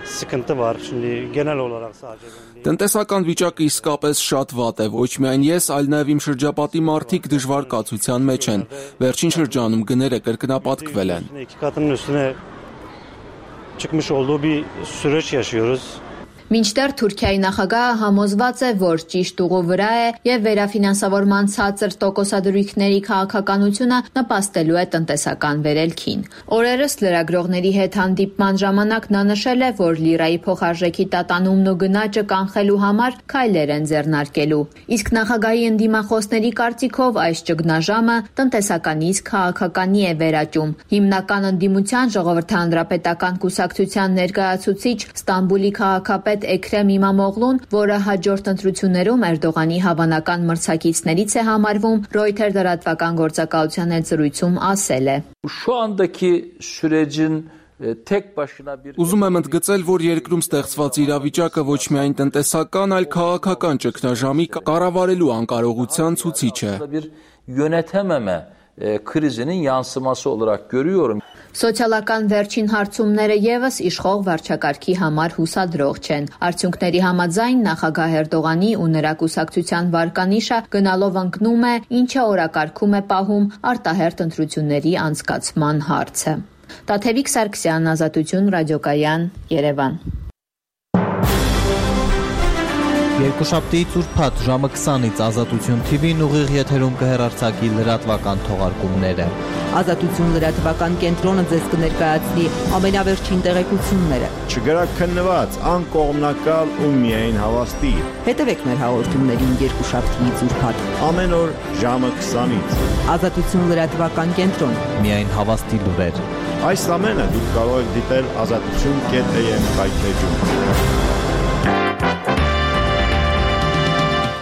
sıkıntı var. Şimdi genel olarak sadece Տնտեսական վիճակը իսկապես շատ վատ է, ոչ միայն ես, այլ նաև իմ շրջապատի մարդիկ դժվար կացության մեջ են։ Վերջին շրջանում գները կրկնապատկվել են։ İki katının üstüne çıkmış olduğu bir süreç yaşıyoruz. Մինչդեռ Թուրքիայի նախագահը համոզված է, որ ճիշտ ուղու վրա է եւ վերաֆինանսավորման ցածր տոկոսադրույքների քաղաքականությունը նպաստելու է տնտեսական վերելքին։ Օրերս լրագրողների հետ հանդիպման ժամանակ նա նշել է, որ լիրայի փոխարժեքի տատանումն ու գնաճը կանխելու համար քայլեր են ձեռնարկելու։ Իսկ նախագահի ընդդիմախոսների կարծիքով այս ճգնաժամը տնտեսականից քաղաքականի է վերաճում։ Հիմնական ընդդիմության ժողովրդահանրապետական կուսակցության ներկայացուցիչ Ստամբուլի քաղաքապետ Էքրեմ İmamoğlu'n, որը հաջորդ ընտրություններում Էրդողանի հավանական մրցակիցներից է համարվում, Reuters լրատվական գործակալության հետ զրույցում ասել է. Şu andaki sürecin Ուզում եմ ընդգծել, որ երկրում ստեղծված իրավիճակը ոչ միայն տնտեսական, այլ քաղաքական ճգնաժամի կառավարելու անկարողության ցուցիչ է։ Krizinin yansıması olarak görüyorum. Սոցիալական վերջին հարցումները եւս իշխող վարչակարգի համար հուսադրող չեն։ Արդյունքների համաձայն նախագահ Էրդողանի ու նրա կուսակցության վարկանիշը գնալով ընկնում է, ինչը օրակարգում է պահում արտահերթ ընտրությունների անցկացման հարցը։ Տաթևիկ Սարգսյան, Ազատություն, Ռադիոկայան, Երևան։ Երկուշաբթիից ուրբաթ ժամը քսանից Ազատություն թի վին ուղիղ եթերում կհեռարձակի լրատվական թողարկումները։ Ազատություն լրատվական կենտրոնը ձեզ կներկայացնի ամենավերջին տեղեկությունները։ Չգրաքննված, անկողմնակալ ու միայն հավաստի։ Հետևեք մեր հաղորդումներին երկուշաբթիից ուրբաթ ամեն օր ժամը քսանից։ Ազատություն լրատվական կենտրոն, միայն հավաստի լուրեր։ Այս ամենը դուք կարող եք դիտել ազատություն կետ է եմ կայքեջում։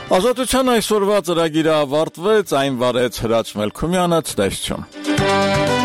Ազատության այսօրվա ծրագիրը ավարտվեց, այն վարեց Հրաչ Մելքումյանը, ցտեսություն։